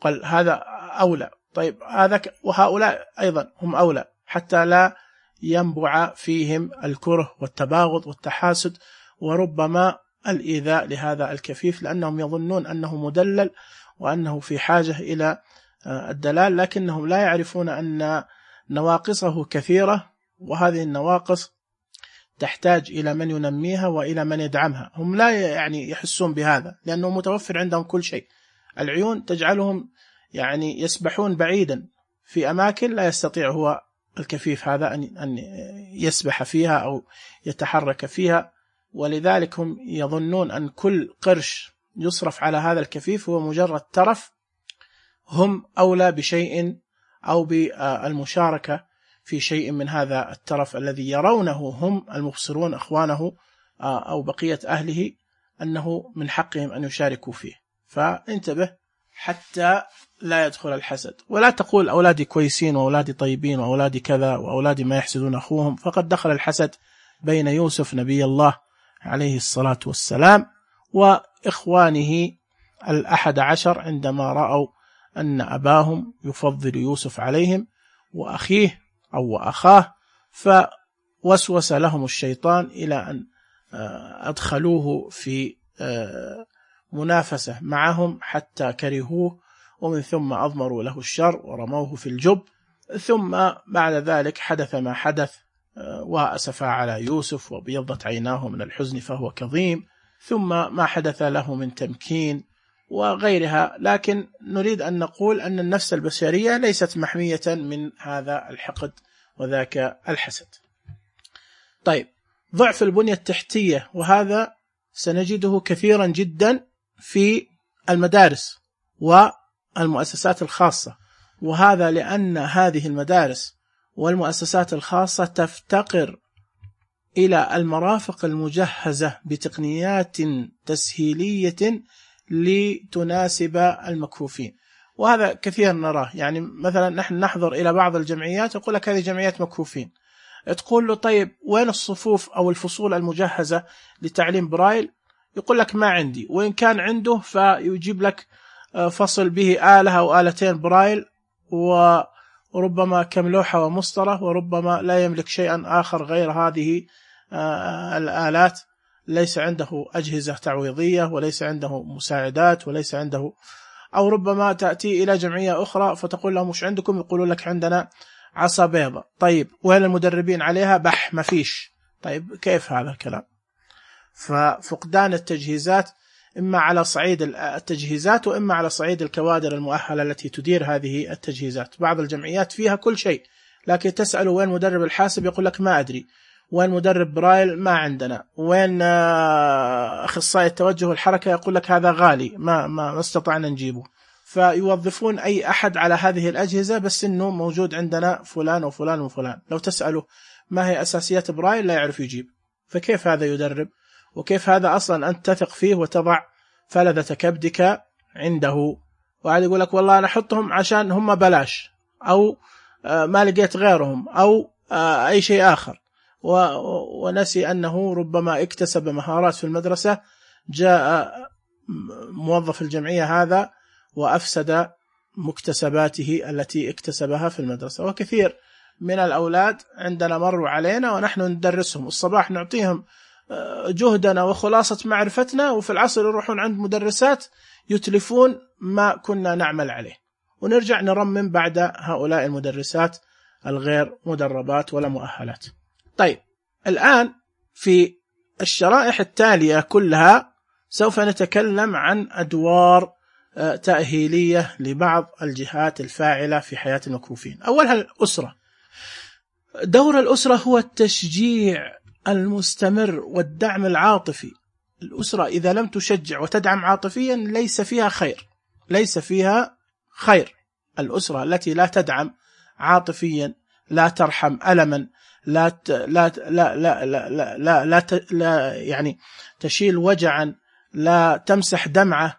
قل هذا أولى. طيب هذا وهؤلاء أيضا هم أولى، حتى لا ينبع فيهم الكره والتباغض والتحاسد وربما الإيذاء لهذا الكفيف، لأنهم يظنون أنه مدلل وأنه في حاجة إلى الدلال، لكنهم لا يعرفون أن نواقصه كثيرة، وهذه النواقص تحتاج إلى من ينميها وإلى من يدعمها. هم لا يعني يحسون بهذا لأنه متوفر عندهم كل شيء. العيون تجعلهم يعني يسبحون بعيدا في أماكن لا يستطيع هو الكفيف هذا أن يسبح فيها أو يتحرك فيها، ولذلك هم يظنون أن كل قرش يصرف على هذا الكفيف هو مجرد ترف، هم أولى بشيء أو بالمشاركة في شيء من هذا الترف الذي يرونه هم المبصرون أخوانه أو بقية أهله أنه من حقهم أن يشاركوا فيه. فانتبه حتى لا يدخل الحسد، ولا تقول أولادي كويسين وأولادي طيبين وأولادي كذا وأولادي ما يحسدون أخوهم، فقد دخل الحسد بين يوسف نبي الله عليه الصلاة والسلام وإخوانه 11 عندما رأوا أن أباهم يفضل يوسف عليهم وأخيه أو أخاه، فوسوس لهم الشيطان إلى أن أدخلوه في منافسة معهم حتى كرهوه، ومن ثم أضمروا له الشر ورموه في الجب. ثم بعد ذلك حدث ما حدث، وأسفا على يوسف وبيضت عيناه من الحزن فهو كظيم، ثم ما حدث له من تمكين وغيرها. لكن نريد أن نقول أن النفس البشرية ليست محمية من هذا الحقد وذاك الحسد. طيب، ضعف البنية التحتية، وهذا سنجده كثيرا جدا في المدارس والمؤسسات الخاصة، وهذا لأن هذه المدارس والمؤسسات الخاصة تفتقر إلى المرافق المجهزة بتقنيات تسهيلية لتناسب المكفوفين، وهذا كثير نراه. يعني مثلا نحن نحضر إلى بعض الجمعيات يقول لك هذه جمعيات مكفوفين، تقول له طيب وين الصفوف أو الفصول المجهزة لتعليم برايل؟ يقول لك ما عندي، وإن كان عنده فيجيب لك فصل به آلة أو آلتين برايل وربما كم لوحة ومسطرة، وربما لا يملك شيئا آخر غير هذه الآلات، ليس عنده أجهزة تعويضية وليس عنده مساعدات وليس عنده. أو ربما تأتي إلى جمعية أخرى فتقول لهم مش عندكم؟ يقولون لك عندنا عصا بيضة. طيب وين المدربين عليها؟ بح ما فيش. طيب كيف هذا الكلام؟ ففقدان التجهيزات إما على صعيد التجهيزات وإما على صعيد الكوادر المؤهلة التي تدير هذه التجهيزات. بعض الجمعيات فيها كل شيء، لكن تسأله وين مدرب الحاسب يقول لك ما أدري، وين مدرب برايل ما عندنا، وين أخصائي التوجه والحركة يقول لك هذا غالي ما استطعنا نجيبه. فيوظفون أي أحد على هذه الأجهزة بس إنه موجود عندنا فلان وفلان وفلان. لو تسأله ما هي أساسيات برايل لا يعرف يجيب. فكيف هذا يدرب؟ وكيف هذا أصلا أنت تثق فيه وتضع فلذة كبدك عنده؟ وعاد يقول لك والله أنا أحطهم عشان هم بلاش، أو ما لقيت غيرهم، أو أي شيء آخر، ونسي أنه ربما اكتسب مهارات في المدرسة، جاء موظف الجمعية هذا وأفسد مكتسباته التي اكتسبها في المدرسة. وكثير من الأولاد عندنا مروا علينا ونحن ندرسهم، الصباح نعطيهم جهدنا وخلاصة معرفتنا، وفي العصر يروحون عند مدرسات يتلفون ما كنا نعمل عليه، ونرجع نرمم بعد هؤلاء المدرسات الغير مدربات ولا مؤهلات. طيب الآن في الشرائح التالية كلها سوف نتكلم عن أدوار تأهيلية لبعض الجهات الفاعلة في حياة المكفوفين. أولها الأسرة. دور الأسرة هو التشجيع المستمر والدعم العاطفي. الأسرة إذا لم تشجع وتدعم عاطفيا ليس فيها خير، ليس فيها خير. الأسرة التي لا تدعم عاطفيا، لا ترحم ألما، لا يعني تشيل وجعا، لا تمسح دمعة،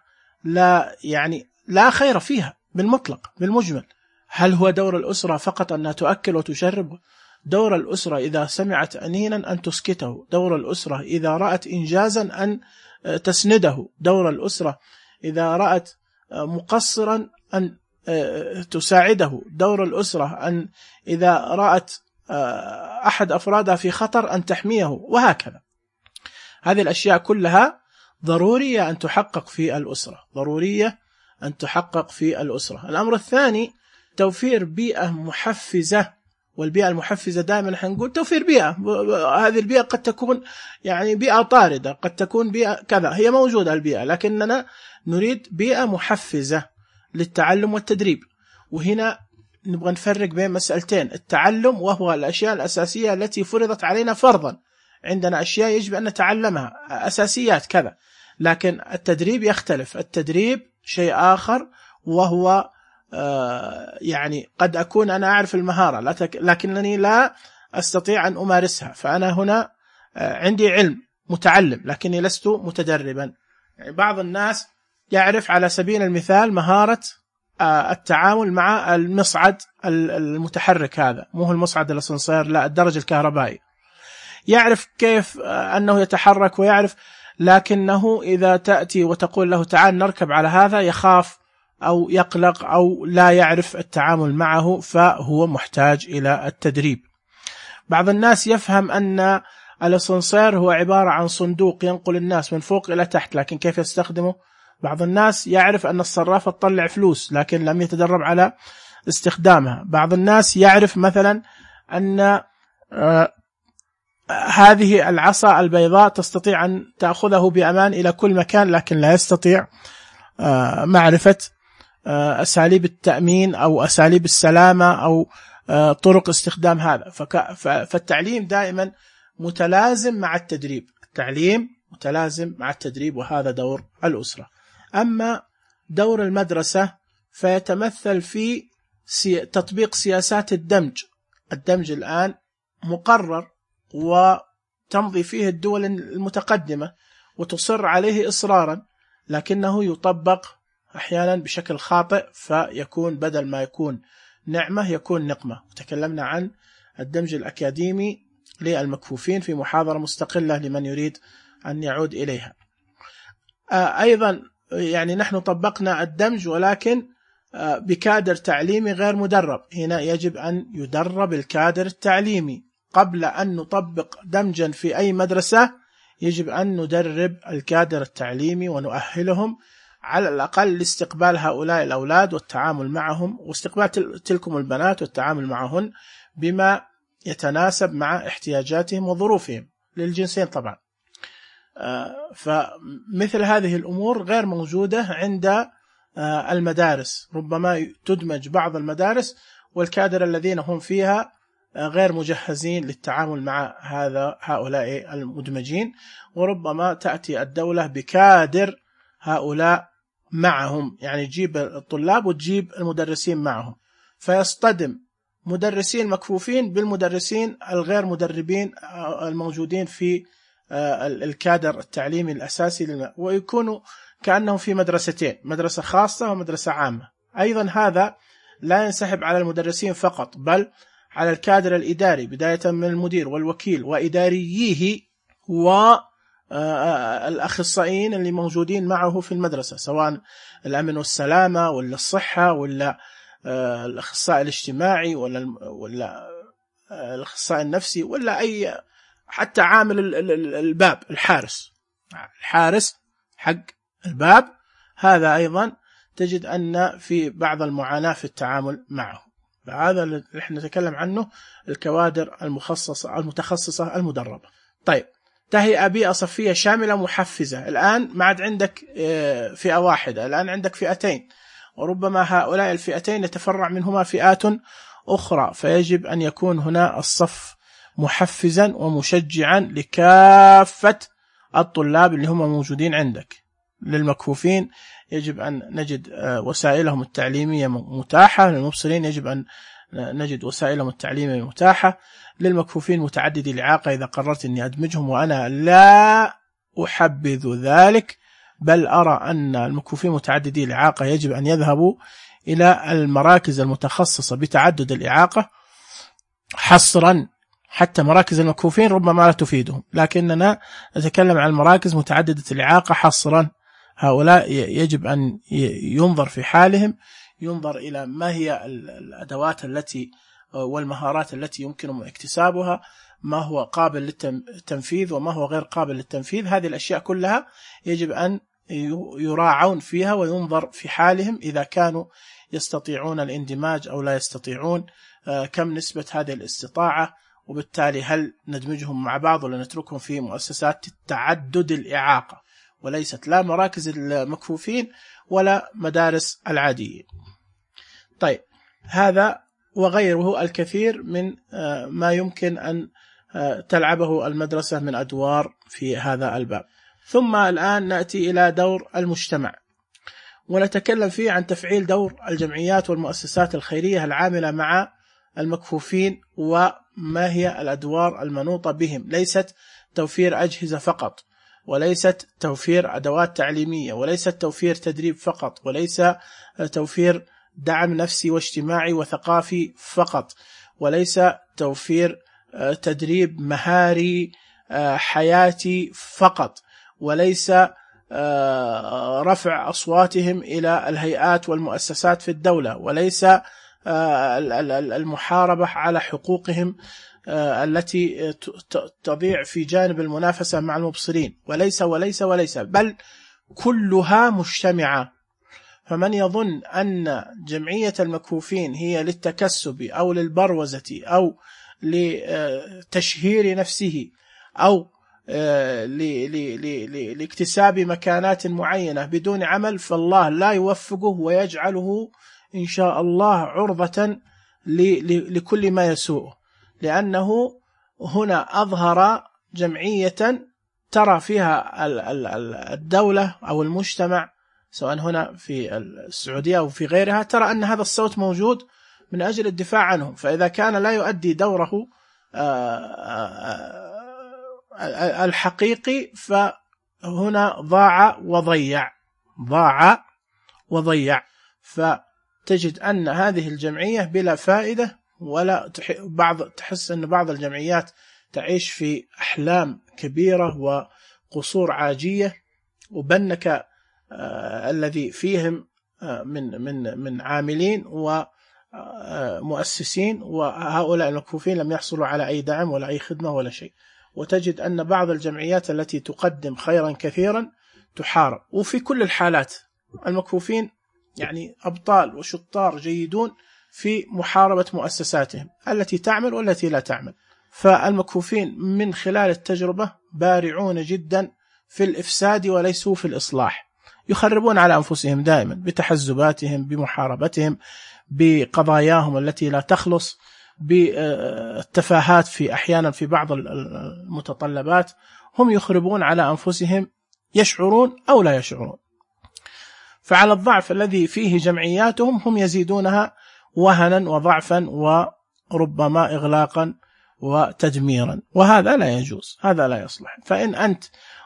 لا خير فيها بالمطلق بالمجمل. هل هو دور الأسرة فقط أنها تؤكل وتشرب؟ دور الأسرة إذا سمعت أنينا أن تسكته، دور الأسرة إذا رأت إنجازا أن تسنده، دور الأسرة إذا رأت مقصرا أن تساعده، دور الأسرة أن إذا رأت أحد أفرادها في خطر أن تحميه، وهكذا. هذه الأشياء كلها ضرورية أن تحقق في الأسرة، ضرورية أن تحقق في الأسرة. الأمر الثاني توفير بيئة محفزة، والبيئة المحفزة دائما حنقول توفير بيئة. هذه البيئة قد تكون بيئة طاردة، قد تكون بيئة كذا، هي موجودة البيئة، لكننا نريد بيئة محفزة للتعلم والتدريب. وهنا نبغى نفرق بين مسألتين: التعلم وهو الأشياء الأساسية التي فرضت علينا فرضا، عندنا أشياء يجب أن نتعلمها أساسيات كذا، لكن التدريب يختلف. التدريب شيء آخر، وهو قد أكون أنا أعرف المهارة لكنني لا أستطيع أن أمارسها، فأنا هنا عندي علم متعلم لكني لست متدربا. بعض الناس يعرف على سبيل المثال مهارة التعامل مع المصعد المتحرك، هذا مو المصعد الأسانسير، لا الدرج الكهربائي، يعرف كيف أنه يتحرك ويعرف، لكنه إذا تأتي وتقول له تعال نركب على هذا يخاف أو يقلق أو لا يعرف التعامل معه، فهو محتاج إلى التدريب. بعض الناس يفهم أن الأسانسير هو عبارة عن صندوق ينقل الناس من فوق إلى تحت، لكن كيف يستخدمه؟ بعض الناس يعرف أن الصرافة تطلع فلوس لكن لم يتدرب على استخدامها. بعض الناس يعرف مثلا أن هذه العصا البيضاء تستطيع أن تأخذه بأمان إلى كل مكان، لكن لا يستطيع معرفة أساليب التأمين أو أساليب السلامة أو طرق استخدام هذا. فالتعليم دائما متلازم مع التدريب، التعليم متلازم مع التدريب، وهذا دور الأسرة. أما دور المدرسة فيتمثل في تطبيق سياسات الدمج. الدمج الآن مقرر وتمضي فيه الدول المتقدمة وتصر عليه إصرارا، لكنه يطبق أحيانا بشكل خاطئ، فيكون بدل ما يكون نعمة يكون نقمة. وتكلمنا عن الدمج الأكاديمي للمكفوفين في محاضرة مستقلة لمن يريد أن يعود إليها. أيضا نحن طبقنا الدمج ولكن بكادر تعليمي غير مدرب. هنا يجب أن يدرب الكادر التعليمي قبل أن نطبق دمجا في أي مدرسة. يجب أن ندرب الكادر التعليمي ونؤهلهم على الأقل لاستقبال هؤلاء الأولاد والتعامل معهم، واستقبال تلكم البنات والتعامل معهن بما يتناسب مع احتياجاتهم وظروفهم للجنسين طبعا. فمثل هذه الأمور غير موجودة عند المدارس. ربما تدمج بعض المدارس والكادر الذين هم فيها غير مجهزين للتعامل مع هؤلاء المدمجين، وربما تأتي الدولة بكادر هؤلاء معهم، يعني تجيب الطلاب وتجيب المدرسين معهم، فيصطدم مدرسين مكفوفين بالمدرسين الغير مدربين الموجودين في الكادر التعليمي الأساسي، ويكونوا كأنهم في مدرستين، مدرسة خاصة ومدرسة عامة. أيضا هذا لا ينسحب على المدرسين فقط، بل على الكادر الإداري بداية من المدير والوكيل وإدارييه والأخصائيين اللي موجودين معه في المدرسة، سواء الأمن والسلامة ولا الصحة ولا الأخصائي الاجتماعي ولا الأخصائي النفسي ولا أي، حتى عامل الباب، الحارس حق الباب، هذا أيضا تجد أن في بعض المعاناة في التعامل معه. فهذا اللي احنا نتكلم عنه الكوادر المتخصصة المدربة. طيب، تهيئة بيئة صفية شاملة محفزة. الآن ما عاد عندك فئة واحدة، الآن عندك فئتين، وربما هؤلاء الفئتين يتفرع منهما فئات أخرى، فيجب أن يكون هنا الصف محفزا ومشجعا لكافة الطلاب اللي هم موجودين عندك. للمكفوفين يجب أن نجد وسائلهم التعليمية متاحة، للمبصرين يجب أن نجد وسائلهم التعليمية متاحة، للمكفوفين متعددي الإعاقة إذا قررت أني أدمجهم، وأنا لا أحبذ ذلك، بل أرى أن المكفوفين متعددي الإعاقة يجب أن يذهبوا إلى المراكز المتخصصة بتعدد الإعاقة حصرا. حتى مراكز المكفوفين ربما لا تفيدهم، لكننا نتكلم عن المراكز متعددة الإعاقة حصرا. هؤلاء يجب أن ينظر في حالهم، ينظر إلى ما هي الأدوات التي والمهارات التي يمكن اكتسابها، ما هو قابل للتنفيذ وما هو غير قابل للتنفيذ. هذه الأشياء كلها يجب أن يراعون فيها، وينظر في حالهم إذا كانوا يستطيعون الاندماج أو لا يستطيعون، كم نسبة هذه الاستطاعة، وبالتالي هل ندمجهم مع بعض ولا نتركهم في مؤسسات تعدد الإعاقة وليست لا مراكز المكفوفين ولا مدارس العاديين. طيب، هذا وغيره الكثير من ما يمكن أن تلعبه المدرسة من أدوار في هذا الباب. ثم الآن نأتي إلى دور المجتمع، ونتكلم فيه عن تفعيل دور الجمعيات والمؤسسات الخيرية العاملة مع المكفوفين، وما هي الأدوار المنوطة بهم. ليست توفير أجهزة فقط، وليست توفير أدوات تعليمية، وليست توفير تدريب فقط، وليس توفير دعم نفسي واجتماعي وثقافي فقط، وليس توفير تدريب مهاري حياتي فقط، وليس رفع أصواتهم إلى الهيئات والمؤسسات في الدولة، وليس المحاربة على حقوقهم التي تضيع في جانب المنافسة مع المبصرين، وليس وليس وليس، بل كلها مجتمعة. فمن يظن أن جمعية المكفوفين هي للتكسب أو للبروزة أو لتشهير نفسه أو لاكتساب مكانات معينة بدون عمل، فالله لا يوفقه ويجعله إن شاء الله عرضة لكل ما يسوءه، لأنه هنا أظهر جمعية ترى فيها الدولة أو المجتمع، سواء هنا في السعودية أو في غيرها، ترى أن هذا الصوت موجود من أجل الدفاع عنهم. فإذا كان لا يؤدي دوره الحقيقي، فهنا ضاع وضيع. فتجد أن هذه الجمعية بلا فائدة، ولا تحس أن بعض الجمعيات تعيش في أحلام كبيرة وقصور عاجية، وبنك الذي فيهم من عاملين ومؤسسين، وهؤلاء المكفوفين لم يحصلوا على أي دعم ولا أي خدمة ولا شيء. وتجد أن بعض الجمعيات التي تقدم خيرا كثيرا تحارب. وفي كل الحالات المكفوفين يعني أبطال وشطار جيدون في محاربة مؤسساتهم التي تعمل والتي لا تعمل. فالمكفوفين من خلال التجربة بارعون جدا في الإفساد وليسوا في الإصلاح. يخربون على أنفسهم دائما بتحزباتهم، بمحاربتهم، بقضاياهم التي لا تخلص، بالتفاهات في أحيانا في بعض المتطلبات. هم يخربون على أنفسهم، يشعرون أو لا يشعرون. فعلى الضعف الذي فيه جمعياتهم هم يزيدونها وهنا وضعفا وربما إغلاقا وتدميرا، وهذا لا يجوز، هذا لا يصلح. فإن أنت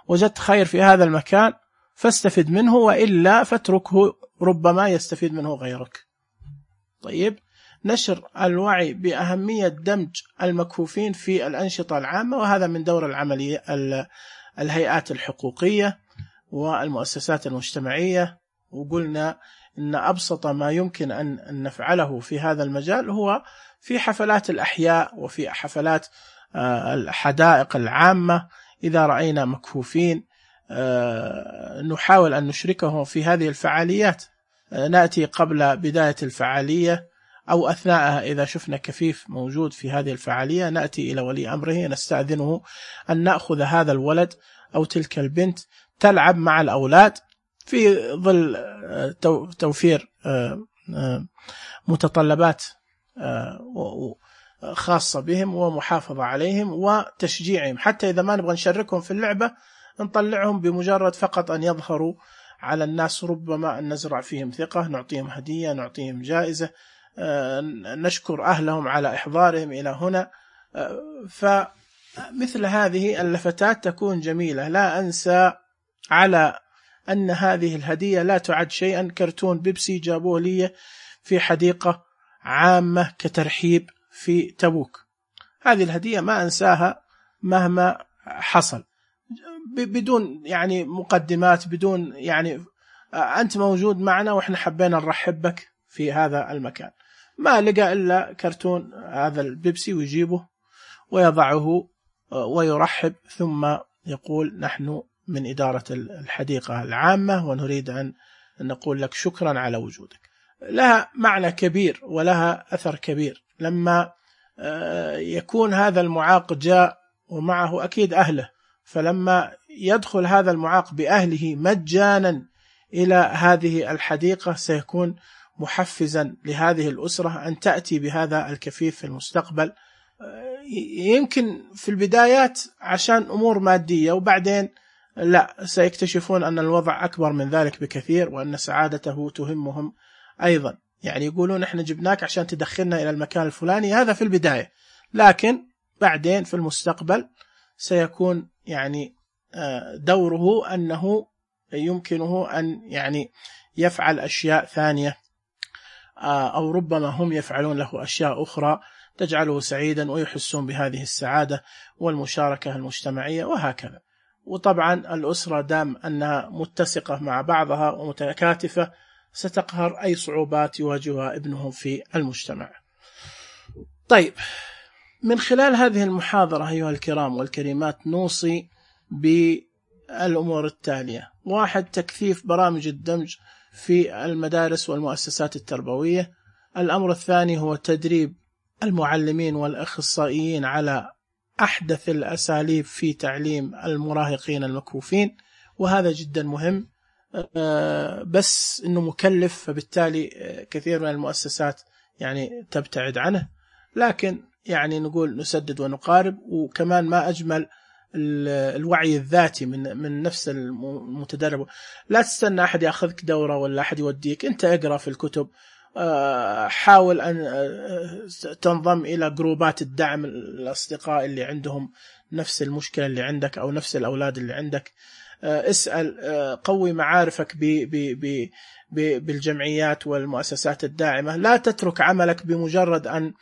وجدت خير في هذا المكان فاستفد منه، وإلا فاتركه، ربما يستفيد منه غيرك. طيب، نشر الوعي بأهمية دمج المكفوفين في الأنشطة العامة، وهذا من دور العملية الهيئات الحقوقية والمؤسسات المجتمعية. وقلنا إن أبسط ما يمكن أن نفعله في هذا المجال هو في حفلات الأحياء وفي حفلات الحدائق العامة. إذا رأينا مكفوفين نحاول أن نشركهم في هذه الفعاليات، نأتي قبل بداية الفعالية أو أثناءها. إذا شفنا كفيف موجود في هذه الفعالية نأتي إلى ولي أمره نستأذنه أن نأخذ هذا الولد أو تلك البنت تلعب مع الأولاد في ظل توفير متطلبات خاصة بهم ومحافظة عليهم وتشجيعهم، حتى إذا ما نبغى نشاركهم في اللعبة نطلعهم بمجرد فقط أن يظهروا على الناس، ربما أن نزرع فيهم ثقة، نعطيهم هدية، نعطيهم جائزة، نشكر أهلهم على إحضارهم إلى هنا. فمثل هذه اللفتات تكون جميلة. لا أنسى على أن هذه الهدية لا تعد شيئا، كرتون بيبسي جابوه لي في حديقة عامة كترحيب في تبوك. هذه الهدية ما أنساها مهما حصل، بدون يعني مقدمات، بدون يعني أنت موجود معنا وإحنا حبينا نرحب بك في هذا المكان. ما لقى إلا كرتون هذا البيبسي ويجيبه ويضعه ويرحب، ثم يقول نحن من إدارة الحديقة العامة ونريد أن نقول لك شكرا على وجودك. لها معنى كبير ولها أثر كبير لما يكون هذا المعاق جاء ومعه أكيد أهله، فلما يدخل هذا المعاق بأهله مجانا إلى هذه الحديقة سيكون محفزا لهذه الأسرة أن تأتي بهذا الكفيف في المستقبل. يمكن في البدايات عشان أمور مادية، وبعدين لا، سيكتشفون أن الوضع أكبر من ذلك بكثير، وأن سعادته تهمهم أيضا. يعني يقولون إحنا جبناك عشان تدخلنا إلى المكان الفلاني، هذا في البداية، لكن بعدين في المستقبل سيكون يعني دوره أنه يمكنه أن يعني يفعل أشياء ثانية، أو ربما هم يفعلون له أشياء أخرى تجعله سعيدا ويحسون بهذه السعادة والمشاركة المجتمعية وهكذا. وطبعا الأسرة دام أنها متسقة مع بعضها ومتكاتفة ستقهر أي صعوبات يواجهها ابنهم في المجتمع. طيب، من خلال هذه المحاضرة أيها الكرام والكريمات نوصي بالأمور التالية: 1. تكثيف برامج الدمج في المدارس والمؤسسات التربوية. الأمر الثاني هو تدريب المعلمين والأخصائيين على أحدث الأساليب في تعليم المراهقين المكفوفين، وهذا جدا مهم، بس إنه مكلف، فبالتالي كثير من المؤسسات يعني تبتعد عنه، لكن يعني نقول نسدد ونقارب. وكمان ما أجمل الوعي الذاتي من نفس المتدرب. لا تستنى أحد يأخذك دورة ولا أحد يوديك، أنت اقرأ في الكتب، حاول أن تنضم إلى جروبات الدعم، الأصدقاء اللي عندهم نفس المشكلة اللي عندك أو نفس الأولاد اللي عندك، اسأل، قوي معارفك بالجمعيات والمؤسسات الداعمة. لا تترك عملك بمجرد أن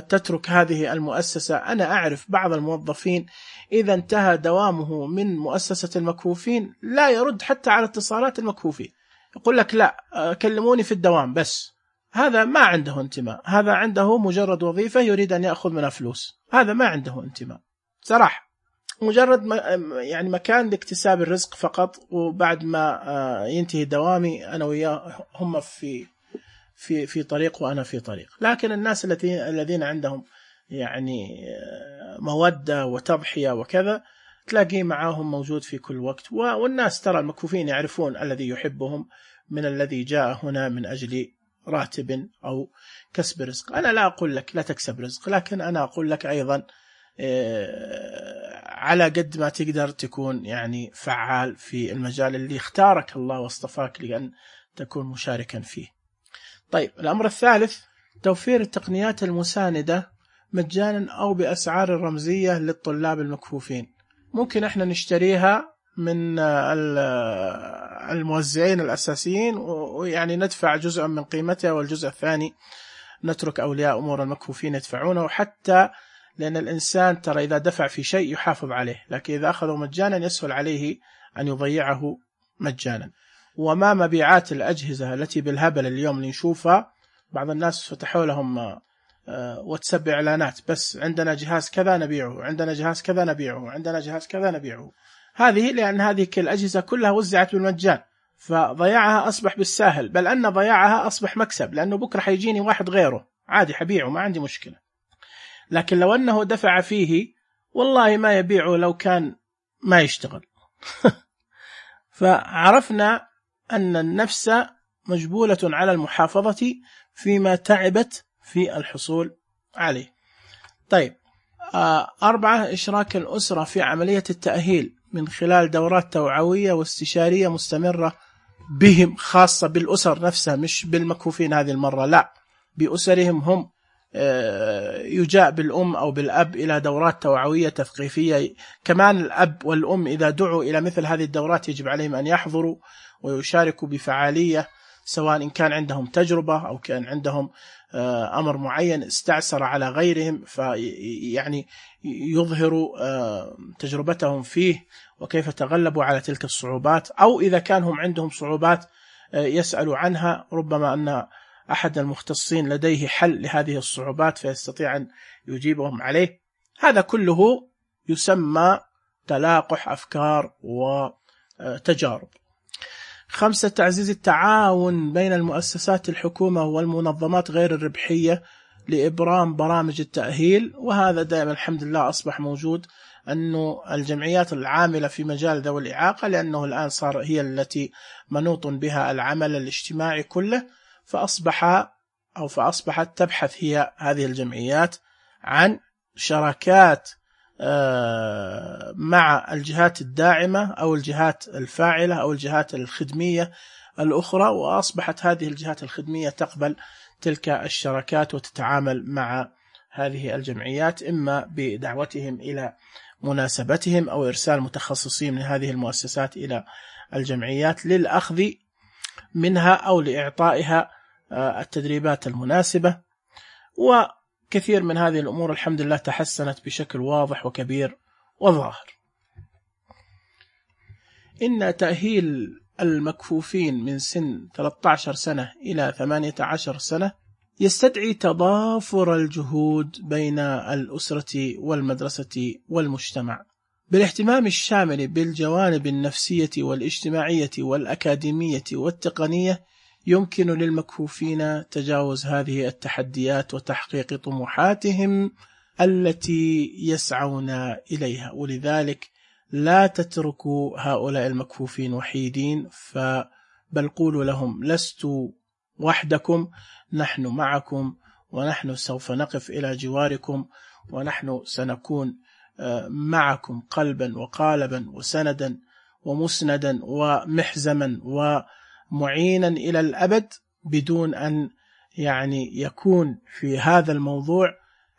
تترك هذه المؤسسة. أنا أعرف بعض الموظفين إذا انتهى دوامه من مؤسسة المكفوفين لا يرد حتى على اتصالات المكفوفين، يقول لك لا كلموني في الدوام بس. هذا ما عنده انتماء، هذا عنده مجرد وظيفة يريد أن يأخذ منها فلوس، هذا ما عنده انتماء صراحة، مجرد يعني مكان لاكتساب الرزق فقط. وبعد ما ينتهي دوامي أنا وياه هم في طريق وأنا في طريق. لكن الناس الذين عندهم يعني مودة وتضحية وكذا تلاقيه معاهم موجود في كل وقت. والناس ترى المكفوفين يعرفون الذي يحبهم من الذي جاء هنا من أجل راتب أو كسب رزق. أنا لا أقول لك لا تكسب رزق، لكن أنا أقول لك أيضا على قد ما تقدر تكون يعني فعال في المجال اللي اختارك الله واصطفاك لأن تكون مشاركا فيه. طيب، الأمر الثالث توفير التقنيات المساندة مجانا أو بأسعار رمزية للطلاب المكفوفين. ممكن احنا نشتريها من الموزعين الأساسيين ويعني ندفع جزء من قيمتها، والجزء الثاني نترك أولياء أمور المكفوفين يدفعونه. وحتى لأن الإنسان ترى إذا دفع في شيء يحافظ عليه، لكن إذا أخذه مجانا يسهل عليه أن يضيعه مجانا. وما مبيعات الأجهزة التي بالهبل اليوم اللي نشوفها، بعض الناس فتحوا لهم واتساب إعلانات، بس عندنا جهاز كذا نبيعه، عندنا جهاز كذا نبيعه، عندنا جهاز كذا نبيعه. هذه لأن هذه الأجهزة كلها وزعت بالمجان، فضياعها أصبح بالساهل، بل أن ضياعها أصبح مكسب، لأنه بكرة حيجيني واحد غيره عادي حبيعه ما عندي مشكلة. لكن لو أنه دفع فيه والله ما يبيعه لو كان ما يشتغل. فعرفنا أن النفس مجبولة على المحافظة فيما تعبت في الحصول عليه. طيب، 4 إشراك الأسرة في عملية التأهيل من خلال دورات توعوية واستشارية مستمرة بهم، خاصة بالأسر نفسها، مش بالمكفوفين هذه المرة، لا، بأسرهم هم. يجاء بالأم أو بالأب إلى دورات توعوية تثقيفية. كمان الأب والأم إذا دعوا إلى مثل هذه الدورات يجب عليهم أن يحضروا ويشاركوا بفعالية، سواء إن كان عندهم تجربة أو كان عندهم أمر معين استعسر على غيرهم، فيعني يظهروا تجربتهم فيه وكيف تغلبوا على تلك الصعوبات، أو إذا كان هم عندهم صعوبات يسألوا عنها، ربما أن أحد المختصين لديه حل لهذه الصعوبات فيستطيع أن يجيبهم عليه. هذا كله يسمى تلاقح أفكار وتجارب. 5 تعزيز التعاون بين المؤسسات الحكومة والمنظمات غير الربحية لإبرام برامج التأهيل. وهذا دائما الحمد لله أصبح موجود، أنه الجمعيات العاملة في مجال ذوي الإعاقة، لأنه الآن صار هي التي منوط بها العمل الاجتماعي كله، فأصبحت تبحث هي هذه الجمعيات عن شراكات مع الجهات الداعمة أو الجهات الفاعلة أو الجهات الخدمية الأخرى، وأصبحت هذه الجهات الخدمية تقبل تلك الشراكات وتتعامل مع هذه الجمعيات، إما بدعوتهم إلى مناسبتهم أو إرسال متخصصين من هذه المؤسسات إلى الجمعيات للأخذ منها أو لإعطائها التدريبات المناسبة. وكثير من هذه الأمور الحمد لله تحسنت بشكل واضح وكبير وظاهر. إن تأهيل المكفوفين من سن 13 سنة إلى 18 سنة يستدعي تضافر الجهود بين الأسرة والمدرسة والمجتمع بالاهتمام الشامل بالجوانب النفسية والاجتماعية والأكاديمية والتقنية. يمكن للمكفوفين تجاوز هذه التحديات وتحقيق طموحاتهم التي يسعون إليها، ولذلك لا تتركوا هؤلاء المكفوفين وحيدين، بل قولوا لهم لستوا وحدكم، نحن معكم، ونحن سوف نقف إلى جواركم، ونحن سنكون معكم قلبا وقالبا وسندا ومسندا ومحزما ومعينا إلى الأبد، بدون أن يعني يكون في هذا الموضوع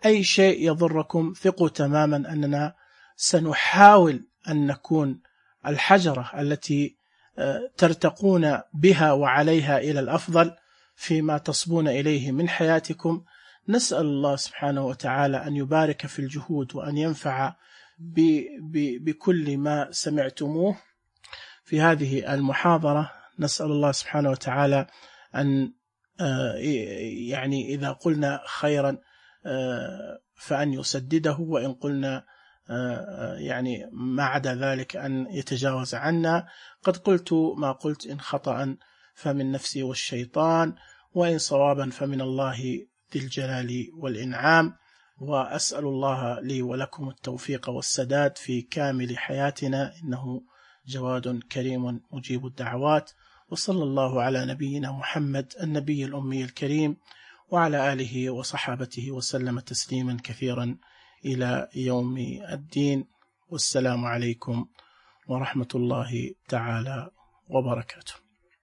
أي شيء يضركم. ثقوا تماما أننا سنحاول أن نكون الحجرة التي ترتقون بها وعليها إلى الأفضل فيما تصبون إليه من حياتكم. نسأل الله سبحانه وتعالى أن يبارك في الجهود وأن ينفع بكل ما سمعتموه في هذه المحاضرة. نسأل الله سبحانه وتعالى أن يعني إذا قلنا خيرا فأن يسدده، وإن قلنا يعني ما عدا ذلك أن يتجاوز عنا. قد قلت ما قلت، إن خطأ فمن نفسي والشيطان، وإن صوابا فمن الله ذي الجلال والإنعام. وأسأل الله لي ولكم التوفيق والسداد في كامل حياتنا، إنه جواد كريم مجيب الدعوات. وصلى الله على نبينا محمد النبي الأمي الكريم وعلى آله وصحابته وسلم تسليما كثيرا إلى يوم الدين. والسلام عليكم ورحمة الله تعالى وبركاته.